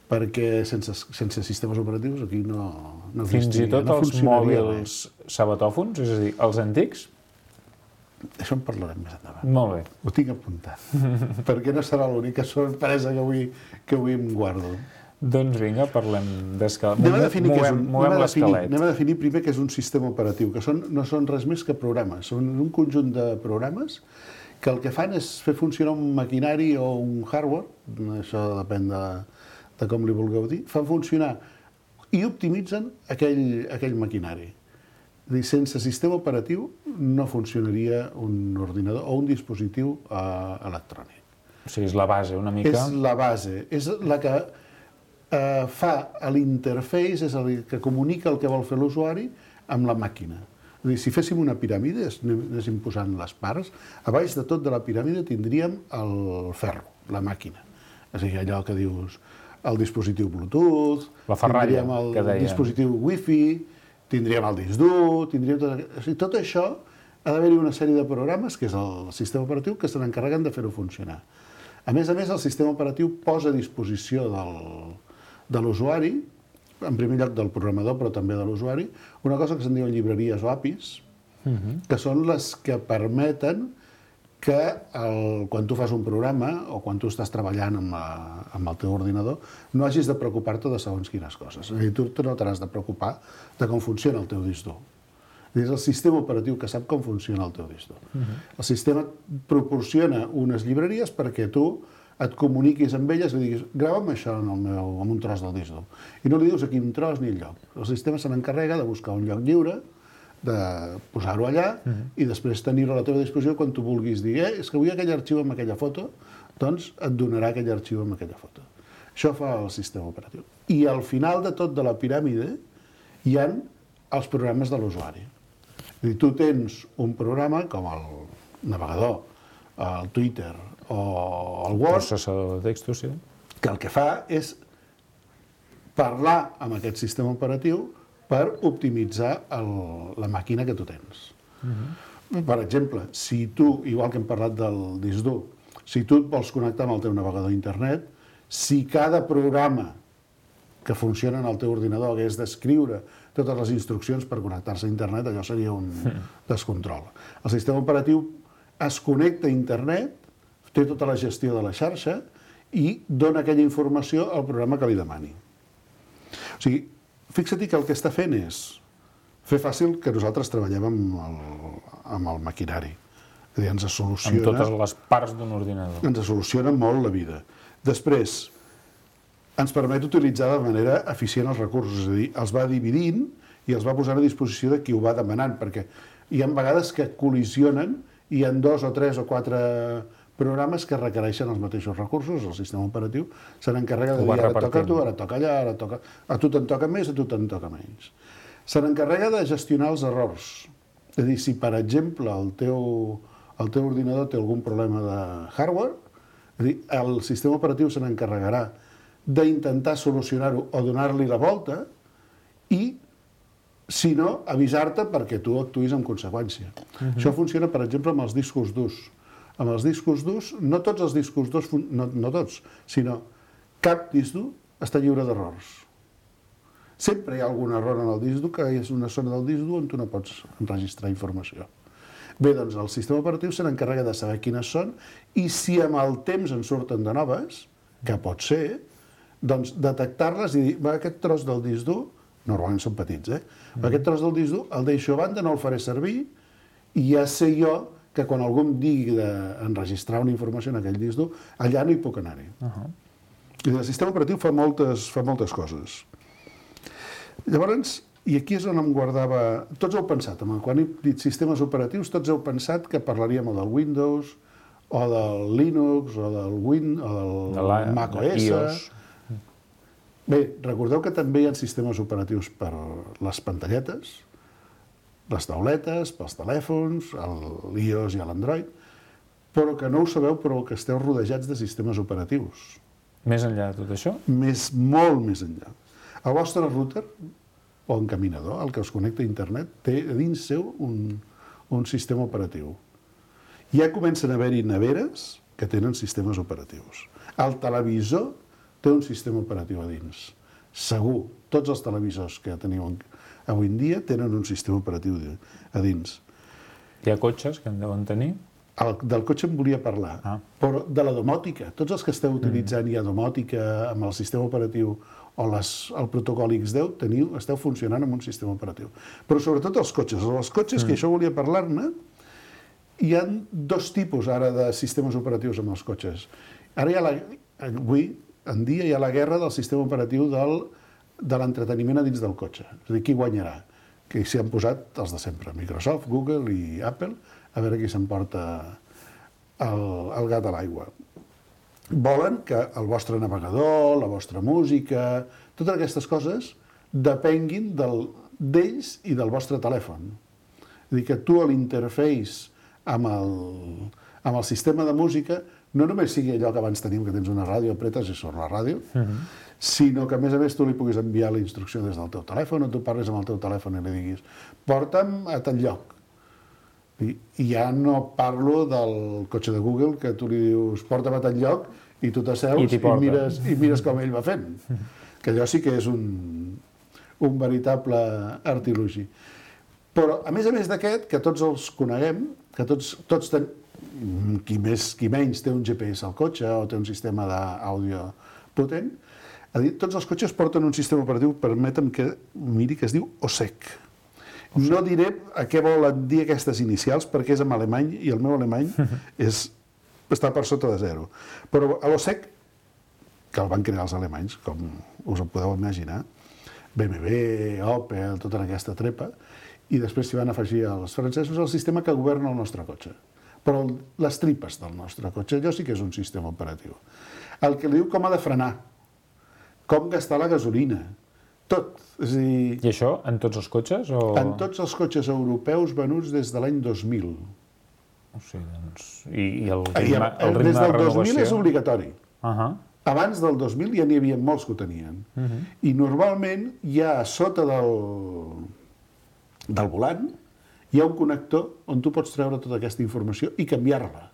Perquè sense, sense sistemes operatius aquí no, no Fins i tot no els funcionaria mòbils sabatòfons, és a dir, els antics? Això en parlarem més endavant. Molt bé. Ho tinc apuntat, perquè no serà l'única sorpresa que avui, que avui em guardo. Doncs vinga, parlem d'esquelet. Anem a definir, què és Movem, un, movem anem a definir, l'esquelet. anem a definir primer què és un sistema operatiu, que són, no són res més que programes. Són un conjunt de programes que el que fan és fer funcionar un maquinari o un hardware, això depèn de, de com li vulgueu dir, fan funcionar i optimitzen aquell, aquell maquinari. És a dir, sense sistema operatiu no funcionaria un ordinador o un dispositiu eh, electrònic. O sigui, és la base, una mica... És la base, és la que eh, fa l'interface, és el que comunica el que vol fer l'usuari amb la màquina. És a dir, si féssim una piràmide, anéssim posant les parts, a baix de tot de la piràmide tindríem el ferro, la màquina. És a dir, allò que dius, el dispositiu Bluetooth, la ferralla, tindríem el que deia. dispositiu Wi-Fi, tindríem el disc dur, tindríem tot... O sigui, tot això ha d'haver-hi una sèrie de programes, que és el sistema operatiu, que se n'encarreguen de fer-ho funcionar. A més a més, el sistema operatiu posa a disposició del, de l'usuari, en primer lloc del programador, però també de l'usuari, una cosa que se'n diuen llibreries o A P Is, uh-huh. que són les que permeten que el, quan tu fas un programa o quan tu estàs treballant amb, la, amb el teu ordinador no hagis de preocupar-te de segons quines coses. És a dir, tu no t'has de preocupar de com funciona el teu disc dur. És el sistema operatiu que sap com funciona el teu disc dur. Uh-huh. El sistema proporciona unes llibreries perquè tu et comuniquis amb elles i diguis, grava'm això en, el meu, en un tros del disc dur. I no li dius a quin tros ni el lloc. El sistema se n'encarrega de buscar un lloc lliure, de posar-ho allà uh-huh. i després tenir-ho a la teva disposició quan tu vulguis dir, eh, és que vull aquell arxiu amb aquella foto, doncs et donarà aquell arxiu amb aquella foto. Això fa el sistema operatiu. I al final de tot de la piràmide hi ha els programes de l'usuari. És a dir, tu tens un programa com el navegador, el Twitter o el Word, processador de textos, sí. que el que fa és parlar amb aquest sistema operatiu per optimitzar el, la màquina que tu tens. Uh-huh. Per exemple, si tu, igual que hem parlat del disc dur, si tu et vols connectar amb el teu navegador d'internet, si cada programa que funciona en el teu ordinador hagués d'escriure totes les instruccions per connectar-se a internet, allò seria un descontrol. El sistema operatiu es connecta a internet, té tota la gestió de la xarxa i dona aquella informació al programa que li demani. O sigui, fixa't que el que està fent és fer fàcil que nosaltres treballem amb el, amb el maquinari. És a dir, ens soluciona... Amb totes les parts d'un ordinador. Ens soluciona molt la vida. Després, ens permet utilitzar de manera eficient els recursos, és a dir, els va dividint i els va posant a disposició de qui ho va demanant, perquè hi ha vegades que col·lisionen i hi ha dos o tres o quatre programes que requereixen els mateixos recursos, el sistema operatiu se n'encarrega de dir, ara toca a tu, ara toca allà, ara toca... A tu te'n toca més, a tu te'n toca menys. Se n'encarrega de gestionar els errors. És a dir, si per exemple el teu, el teu ordinador té algun problema de hardware, és a dir, el sistema operatiu se n'encarregarà d'intentar solucionar-ho o donar-li la volta i, si no, avisar-te perquè tu actuïs en conseqüència. Uh-huh. Això funciona, per exemple, amb els discos durs. Amb els discos durs, no tots els discos durs, no, no tots, sinó cap disc dur està lliure d'errors. Sempre hi ha algun error en el disc dur, que és una zona del disc dur on tu no pots enregistrar informació. Bé, doncs el sistema operatiu se n'encarrega de saber quines són i si amb el temps en surten de noves, que pot ser, doncs detectar-les i dir, va, aquest tros del disc dur, normalment són petits, eh? Mm. Aquest tros del disc dur el deixo a banda, no el faré servir i ja sé jo que quan algú em digui d'enregistrar una informació en aquell disc dur, allà no hi puc anar-hi. Uh-huh. I el sistema operatiu fa moltes, fa moltes coses. Llavors, i aquí és on em guardava... Tots heu pensat, quan he dit sistemes operatius, tots heu pensat que parlaríem o del Windows, o del Linux, o del Win, o del de la, Mac O S. I O S. Bé, recordeu que també hi ha sistemes operatius per les pantalletes, les tauletes, pels telèfons, l'i o essa i l'Android, però que no ho sabeu, però que esteu rodejats de sistemes operatius. Més enllà de tot això? Més, molt més enllà. El vostre router o encaminador, el que us connecta a internet, té a dins seu un, un sistema operatiu. Ja comencen a haver-hi neveres que tenen sistemes operatius. El televisor té un sistema operatiu a dins. Segur, tots els televisors que teniu avui en dia tenen un sistema operatiu a dins. Hi ha cotxes que en deuen tenir? El, del cotxe em volia parlar, ah. però de la domòtica. Tots els que esteu utilitzant mm. ja domòtica amb el sistema operatiu o les, el protocol ics deu, teniu, esteu funcionant amb un sistema operatiu. Però sobretot els cotxes. Els cotxes, mm. que això volia parlar-ne, hi ha dos tipus ara de sistemes operatius amb els cotxes. Ara hi ha la, avui en dia hi ha la guerra del sistema operatiu del, de l'entreteniment a dins del cotxe. És a dir, qui guanyarà? que s'hi han posat els de sempre, Microsoft, Google i Apple, a veure qui s'emporta el, el gat a l'aigua. Volen que el vostre navegador, la vostra música, totes aquestes coses depenguin d'ells i del vostre telèfon. És a dir, que tu a l'interface amb, el, amb el sistema de música no només sigui allò que abans teníem, que tens una ràdio, apretes i surt la ràdio, uh-huh. sinó que a més a més tu li puguis enviar la instrucció des del teu telèfon, o tu parles amb el teu telèfon i li diguis porta'm a tal lloc. I, i ja no parlo del cotxe de Google, que tu li dius porta'm a tal lloc i tu t'asseus i, i, mires, i mires com ell va fent. Que allò sí que és un, un veritable artilugi. Però, a més a més d'aquest, que tots els coneguem, que tots, tots ten... qui més, qui menys té un G P S al cotxe o té un sistema d'àudio potent, a dir, tots els cotxes porten un sistema operatiu, permetem que miri, que es diu O S E C. No diré a què volen dir aquestes inicials, perquè és en alemany, i el meu alemany és, està per sota de zero. Però l'O S E C, que el van crear els alemanys, com us ho podeu imaginar, B M W, Opel, tota aquesta trepa, i després s'hi van afegir els francesos el sistema que governa el nostre cotxe. Però les tripes del nostre cotxe, allò sí que és un sistema operatiu. El que li diu com ha de frenar, com gastar la gasolina, tot. És a dir, I això en tots els cotxes? O... En tots els cotxes europeus venuts des de l'any dos mil. O sigui, doncs... I, i el ritme, el ritme des del de renovació? dos mil és obligatori. Uh-huh. Abans del dos mil ja n'hi havia molts que ho tenien. Uh-huh. I normalment hi ha a sota del, del volant hi ha un connector on tu pots treure tota aquesta informació i canviar-la.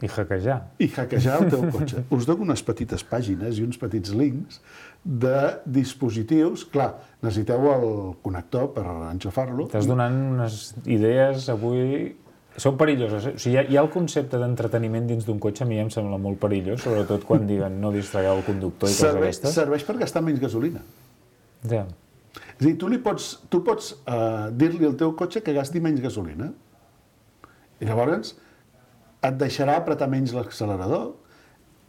I hackejar. I hackejar el teu cotxe. Us dono unes petites pàgines i uns petits links de dispositius. Clar, necessiteu el connector per enxufar-lo. Estàs donant unes idees avui... Són perilloses. O sigui, hi ha, hi ha el concepte d'entreteniment dins d'un cotxe, a mi em sembla molt perillós, sobretot quan diguen no distragueu el conductor i coses d'aquestes. Serveix per gastar menys gasolina. Ja. És a dir, tu, li pots, tu pots uh, dir-li al teu cotxe que gasti menys gasolina. I llavors et deixarà apretar menys l'accelerador,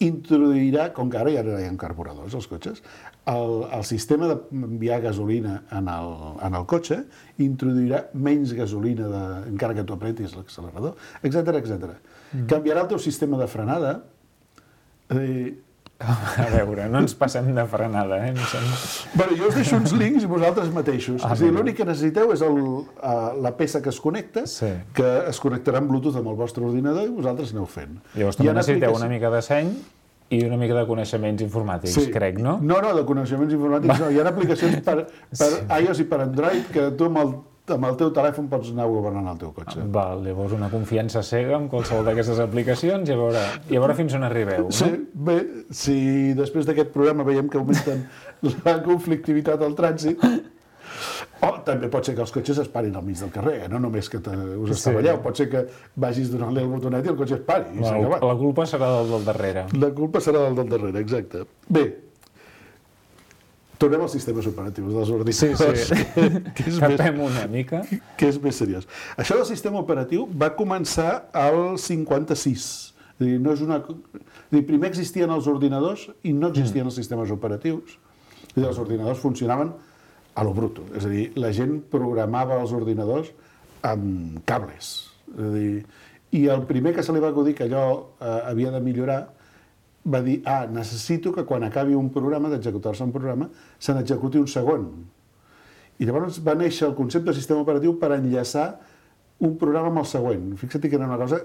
introduirà, com que ara ja no hi ha carburadors als cotxes, el, el sistema d'enviar gasolina en el, en el cotxe introduirà menys gasolina de, encara que tu apretis l'accelerador, etcètera, etcètera. Mm. Canviarà el teu sistema de frenada. Eh, A veure, no ens passem de frenada, eh? Bueno, jo us deixo uns links i vosaltres mateixos. Ah, és a dir, l'únic que necessiteu és el, uh, la peça que es connecta, sí. que es connectarà amb Bluetooth amb el vostre ordinador i vosaltres aneu fent. Llavors també necessiteu una mica de seny i una mica de coneixements informàtics, sí. crec, no? No, no, de coneixements informàtics no. Hi ha aplicacions per, per sí. iOS i per Android que tu amb el amb el teu telèfon pots anar governant el teu cotxe. Val, llavors una confiança cega amb qualsevol d'aquestes aplicacions i a veure, i a veure fins on arribeu, no? Sí, bé, si després d'aquest programa veiem que augmenten la conflictivitat al trànsit, o també pot ser que els cotxes es parin al mig del carrer, no només que te, us estavelleu, sí. pot ser que vagis donant-li el botonet i el cotxe es pari. I la, la culpa serà del del darrere. La culpa serà del del darrere, exacte. Bé, tornem als sistemes operatius dels ordinadors. Sí, sí. Que és Capem més, una mica. Que és més seriós. Això del sistema operatiu va començar al cinquanta-sis. És a dir, no és una... És a dir, primer existien els ordinadors i no existien mm. els sistemes operatius. És a dir, els ordinadors funcionaven a lo bruto. És a dir, la gent programava els ordinadors amb cables. És a dir, i el primer que se li va acudir que allò eh, havia de millorar va dir, ah, necessito que quan acabi un programa, d'executar-se un programa, se n'executi un segon. I llavors va néixer el concepte de sistema operatiu per enllaçar un programa amb el següent. Fixa't que era una cosa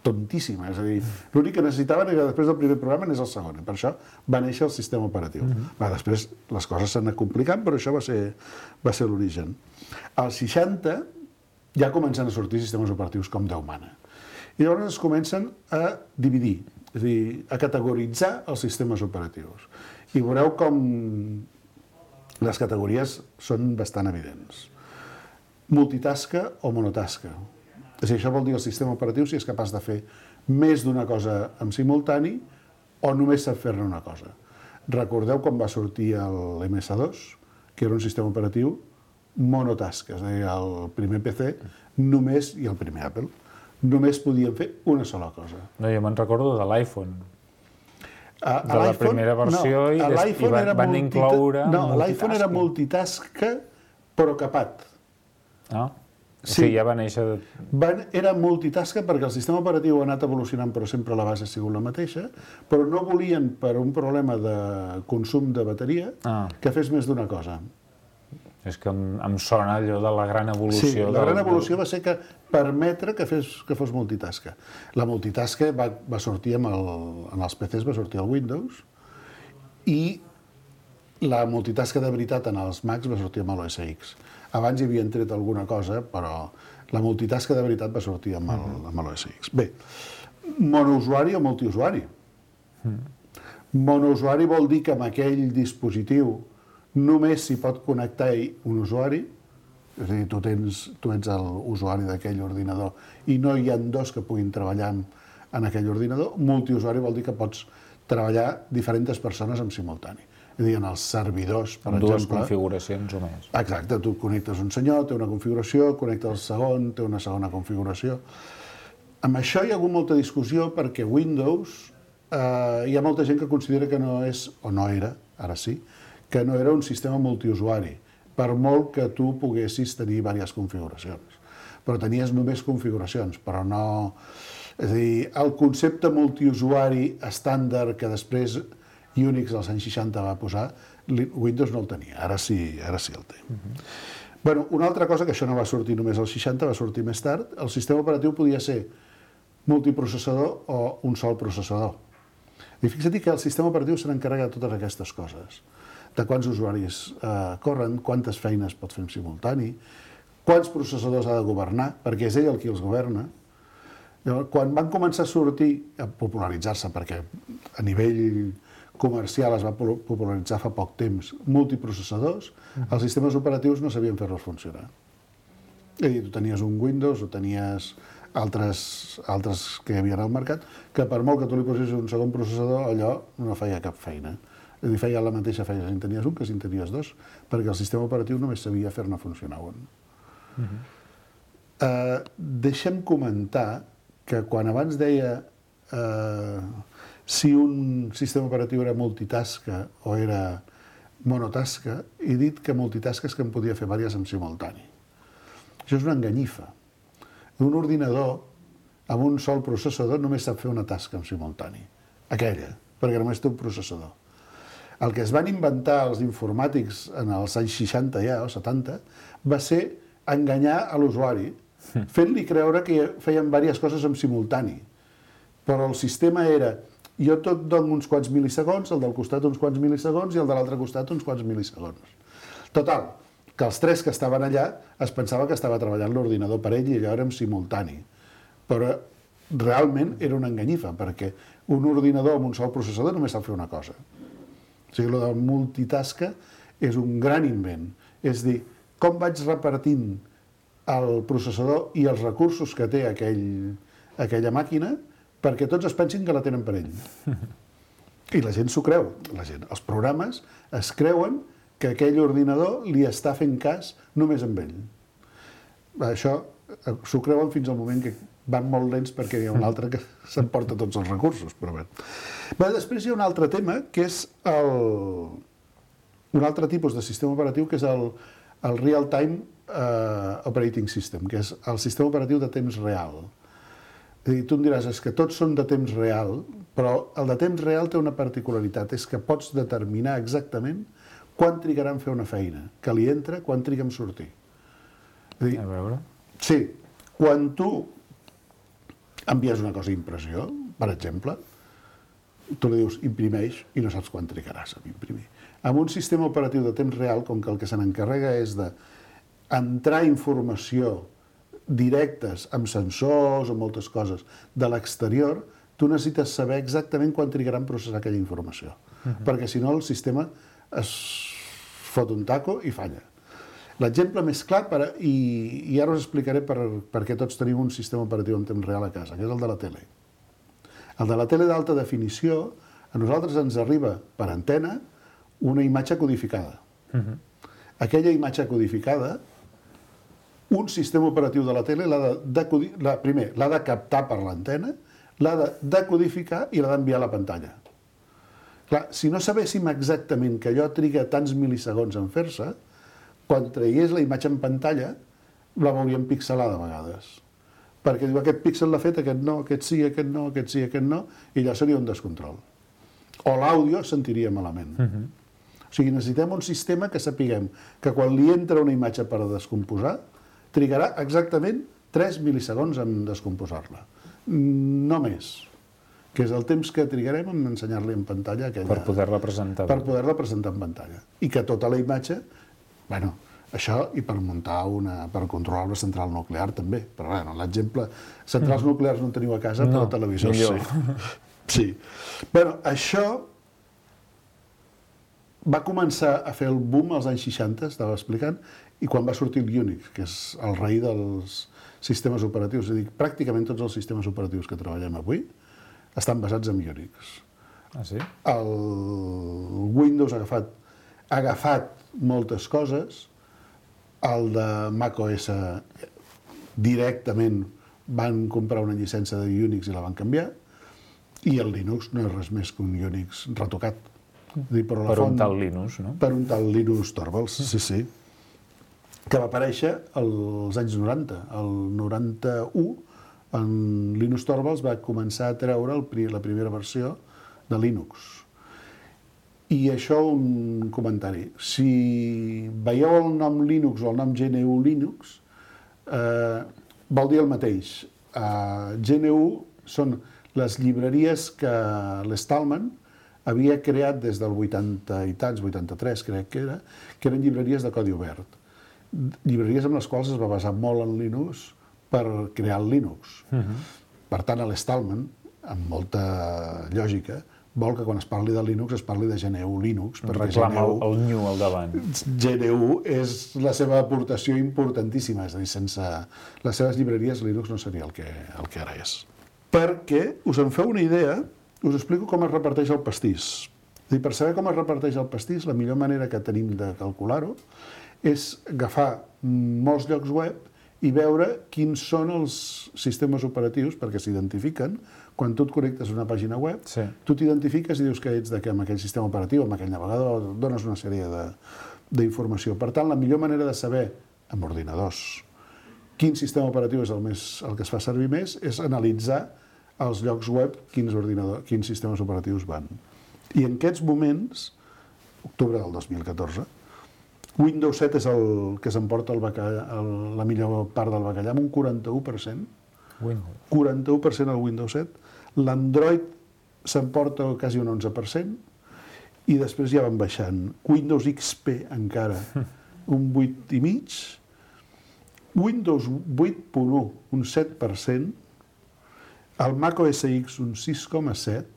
tontíssima. És a dir, l'únic que necessitaven era després del primer programa n'és el segon. Per això va néixer el sistema operatiu. Mm-hmm. Va, després les coses s'han anat complicant, però això va ser, va ser l'origen. Als seixanta ja comencen a sortir sistemes operatius com Déu mana. I llavors es comencen a dividir, és a dir, a categoritzar els sistemes operatius. I veureu com les categories són bastant evidents. Multitasca o monotasca. És a dir, això vol dir el sistema operatiu si és capaç de fer més d'una cosa en simultani o només sap fer-ne una cosa. Recordeu quan va sortir l'M S dos, que era un sistema operatiu monotasca, és a dir, el primer P C només, i el primer Apple, només podien fer una sola cosa. No, jo me'n recordo de l'iPhone. De la primera versió no, i, des, i van, van multita... incloure No, l'iPhone era multitasca, però capat. Ah, o Sí. sigui, ja va néixer... Van, era multitasca perquè el sistema operatiu ha anat evolucionant, però sempre la base ha sigut la mateixa, però no volien, per un problema de consum de bateria, Ah. que fes més d'una cosa. És que em, em sona allò de la gran evolució. Sí, la gran del- evolució va ser que permetre que, fes, que fos multitasca. La multitasca va, va sortir amb el, en els P Cs, va sortir el Windows, i la multitasca de veritat en els Macs va sortir amb l'O S X. Abans hi havien tret alguna cosa, però la multitasca de veritat va sortir amb el, amb l'O S X. Bé, monousuari o multiusuari. Monousuari vol dir que amb aquell dispositiu només s'hi pot connectar un usuari, és a dir, tu, tens, tu ets l'usuari d'aquell ordinador i no hi ha dos que puguin treballar en, en aquell ordinador. Multiusuari vol dir que pots treballar diferents persones en simultani. És a dir, en els servidors, per Amb dues exemple... configuracions o més. Exacte, tu connectes un senyor, té una configuració, connecta el segon, té una segona configuració. Amb això hi ha hagut molta discussió perquè Windows, eh, hi ha molta gent que considera que no és, o no era, ara sí, que no era un sistema multiusuari, per molt que tu poguessis tenir diverses configuracions. Però tenies només configuracions, però no... És a dir, el concepte multiusuari estàndard que després Unix als anys seixanta va posar, Windows no el tenia, ara sí, ara sí el té. Uh-huh. Bueno, una altra cosa, que això no va sortir només als seixanta, va sortir més tard, el sistema operatiu podia ser multiprocessador o un sol processador. I fixa't que el sistema operatiu se n'encarrega de totes aquestes coses, de quants usuaris eh, corren, quantes feines pot fer en simultani, quants processadors ha de governar, perquè és ell el qui els governa. Llavors, quan van començar a sortir, a popularitzar-se, perquè a nivell comercial es va popularitzar fa poc temps, multiprocessadors, els sistemes operatius no sabien fer-los funcionar. És a dir, tu tenies un Windows o tenies altres, altres que hi havia al mercat, que per molt que tu li posessis un segon processador, allò no feia cap feina. És a dir, feia la mateixa feina si en tenies un que si en tenies dos, perquè el sistema operatiu només sabia fer-ne funcionar un. Uh-huh. uh, deixa'm comentar que quan abans deia uh, si un sistema operatiu era multitasca o era monotasca, he dit que multitasca és que en podia fer diverses en simultani. Això és una enganyifa. Un ordinador amb un sol processador només sap fer una tasca en simultani. Aquella, perquè només té un processador. El que es van inventar els informàtics en els anys seixanta ja, o setanta, va ser enganyar a l'usuari, fent-li creure que feien diverses coses en simultani. Però el sistema era, jo tot dono uns quants mil·lisegons, el del costat uns quants mil·lisegons i el de l'altre costat uns quants mil·lisegons. Total, que els tres que estaven allà es pensava que estava treballant l'ordinador per ell i allò era en simultani. Però realment era una enganyifa, perquè un ordinador amb un sol processador només sap fer una cosa. O sigui, el de multitasca és un gran invent. És dir, com vaig repartint el processador i els recursos que té aquell, aquella màquina perquè tots es pensin que la tenen per ell. I la gent s'ho creu. La gent, els programes es creuen que aquell ordinador li està fent cas només amb ell. Això s'ho creuen fins al moment que van molt lents perquè hi ha un altre que s'emporta tots els recursos. Però bé. Bé, després hi ha un altre tema, que és el... un altre tipus de sistema operatiu, que és el, el Real-Time uh, Operating System, que és el sistema operatiu de temps real. És a dir, tu em diràs, és que tots són de temps real, però el de temps real té una particularitat, és que pots determinar exactament quan trigarà en fer una feina, que li entra, quan triga en sortir. És a dir, a veure... Sí, quan tu envies una cosa a impressió, per exemple, tu li dius imprimeix i no saps quan trigaràs a imprimir. Amb un sistema operatiu de temps real, com que el que se n'encarrega és d'entrar informació directes amb sensors o moltes coses de l'exterior, tu necessites saber exactament quan trigarà en processar aquella informació. Uh-huh. Perquè si no el sistema es fot un taco i falla. L'exemple més clar, per, i, i ara us explicaré per, per què tots tenim un sistema operatiu en temps real a casa, que és el de la tele. El de la tele d'alta definició, a nosaltres ens arriba per antena una imatge codificada. Uh-huh. Aquella imatge codificada, un sistema operatiu de la tele l'ha de, de, la, primer l'ha de captar per l'antena, l'ha de decodificar i l'ha d'enviar a la pantalla. Clar, si no sabéssim exactament que allò triga tants mil·lisegons en fer-se, quan tragués la imatge en pantalla, la veuríem pixelada a vegades. Perquè diu, aquest píxel l'ha fet, aquest no, aquest sí, aquest no, aquest sí, aquest no, i allò seria un descontrol. O l'àudio sentiria malament. Uh-huh. O sigui, necessitem un sistema que sapiguem que quan li entra una imatge per descomposar, trigarà exactament tres mil·lisegons en descomposar-la. No més. Que és el temps que trigarem en ensenyar-li en pantalla aquella... Per poder-la presentar. Per poder-la presentar en pantalla. I que tota la imatge... Bueno, això i per muntar una... per controlar una central nuclear també. Però bueno, l'exemple... Centrals mm. nuclears no en teniu a casa, no, però televisors millor. Sí. Sí. Bueno, això va començar a fer el boom als anys seixanta, estava explicant, i quan va sortir el Unix, que és el rei dels sistemes operatius. És a dir, pràcticament tots els sistemes operatius que treballem avui estan basats en Unix. Ah, sí? El Windows ha agafat, ha agafat moltes coses, el de macOS directament van comprar una llicència de Unix i la van canviar, i el Linux no és res més que un Unix retocat. Dir, per per font, un tal Linux, no? Per un tal Linus Torvalds, sí, sí. Que va aparèixer als anys noranta. El noranta-u, en Linus Torvalds va començar a treure el, la primera versió de Linux. I això un comentari. Si veieu el nom Linux o el nom G N U Linux, eh, vol dir el mateix. Eh, G N U són les llibreries que l'Stallman havia creat des del vuitanta i tants, vuitanta-tres crec que era, que eren llibreries de codi obert. Llibreries amb les quals es va basar molt en Linux per crear el Linux. Uh-huh. Per tant, l'Stallman, amb molta lògica, vol que quan es parli de Linux es parli de G N U Linux. Reclama el, el new al davant. G N U és la seva aportació importantíssima, és a dir, sense les seves llibreries Linux no seria el que, el que ara és. Perquè, us en feu una idea, us explico com es reparteix el pastís. És dir, per saber com es reparteix el pastís, la millor manera que tenim de calcular-ho és agafar molts llocs web i veure quins són els sistemes operatius, perquè s'identifiquen. Quan tu et connectes a una pàgina web, sí. Tu t'identifiques i dius que ets de que amb aquell sistema operatiu, amb aquell navegador, dones una sèrie d'informació. Per tant, la millor manera de saber, amb ordinadors, quin sistema operatiu és el, més, el que es fa servir més, és analitzar als llocs web quins, ordinadors, quins sistemes operatius van. I en aquests moments, octubre del dos mil catorze, Windows set és el que s'emporta el bacallà, el, la millor part del bacallà, amb un quaranta-u per cent. Windows. quaranta-u per cent al Windows set. L'Android s'emporta quasi un onze per cent i després ja van baixant. Windows X P encara un vuit i mig. Windows vuit punt u, un set per cent. El Mac O S X un sis coma set,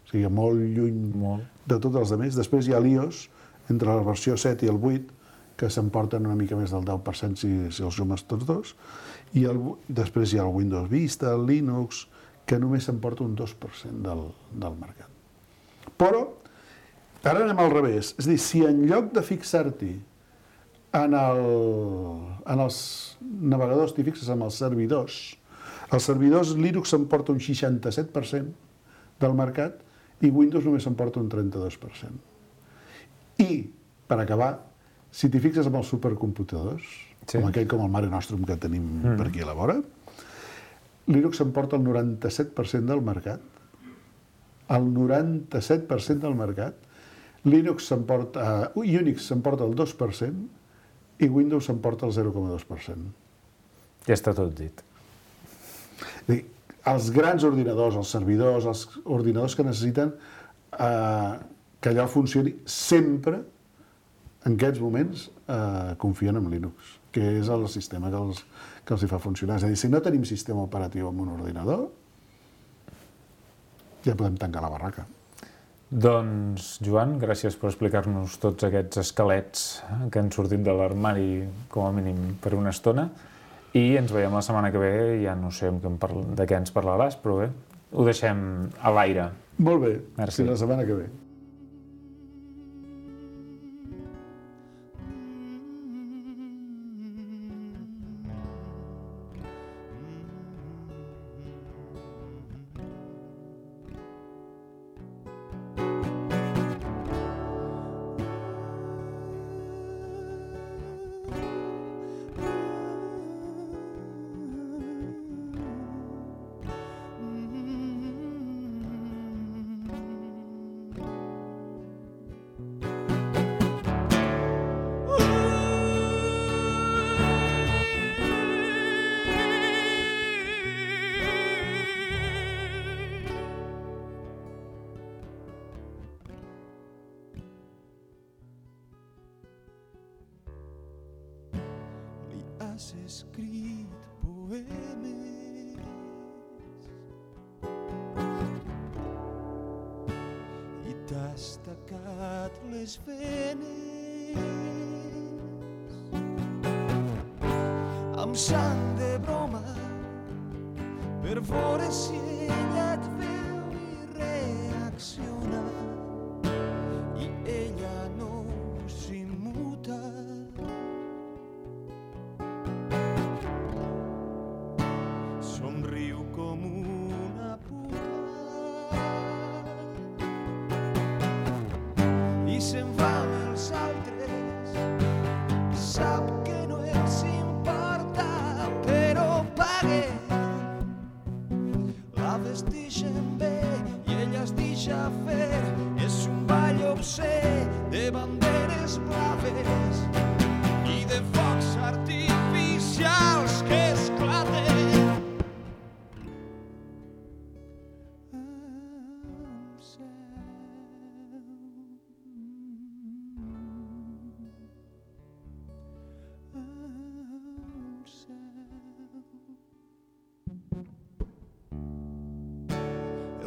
o sigui, molt lluny molt. De tots els altres. Després hi ha l'iOS, entre la versió set i el vuit, que s'emporten una mica més del deu per cent si, si els sumes tots dos. I el, després hi ha el Windows Vista, el Linux, que només s'emporta un dos per cent del, del mercat. Però, ara anem al revés. És a dir, si en lloc de fixar-t'hi en, el, en els navegadors, t'hi fixes en els servidors, els servidors Linux s'emporta un seixanta-set per cent del mercat i Windows només s'emporta un trenta-dos per cent. I, per acabar, si t'hi fixes amb els supercomputadors, sí. Com aquell com el Mare Nostrum que tenim mm. per aquí a la vora, Linux s'emporta el noranta-set per cent del mercat. El noranta-set per cent del mercat. Linux s'emporta... Uh, Unix s'emporta el dos per cent i Windows s'emporta el zero coma dos per cent. Ja està tot dit. Dir, els grans ordinadors, els servidors, els ordinadors que necessiten eh, que allò funcioni sempre, en aquests moments, eh, confien en Linux, que és el sistema que els, que els hi fa funcionar. És a dir, si no tenim sistema operatiu en un ordinador, ja podem tancar la barraca. Doncs, Joan, gràcies per explicar-nos tots aquests esquelets que han sortit de l'armari, com a mínim, per una estona. I ens veiem la setmana que ve, ja no sé de què ens parlaràs, però bé, ho deixem a l'aire. Molt bé, merci. Fins la setmana que ve. m'has escrit poemes i t'has tacat les venes amb sang de broma per veure si ella et veu i reacciona i ella no s'immuta. Somriu com una puta i se'n va amb els altres. Sap que no els importa, però paguen. La vestixen bé i ella es deixa fer. És un ball obscè de banderes blaves i de focs artificials que esclaten.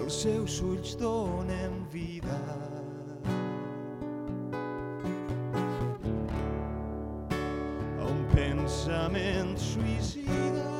Els seus ulls donen vida a un pensament suïcida.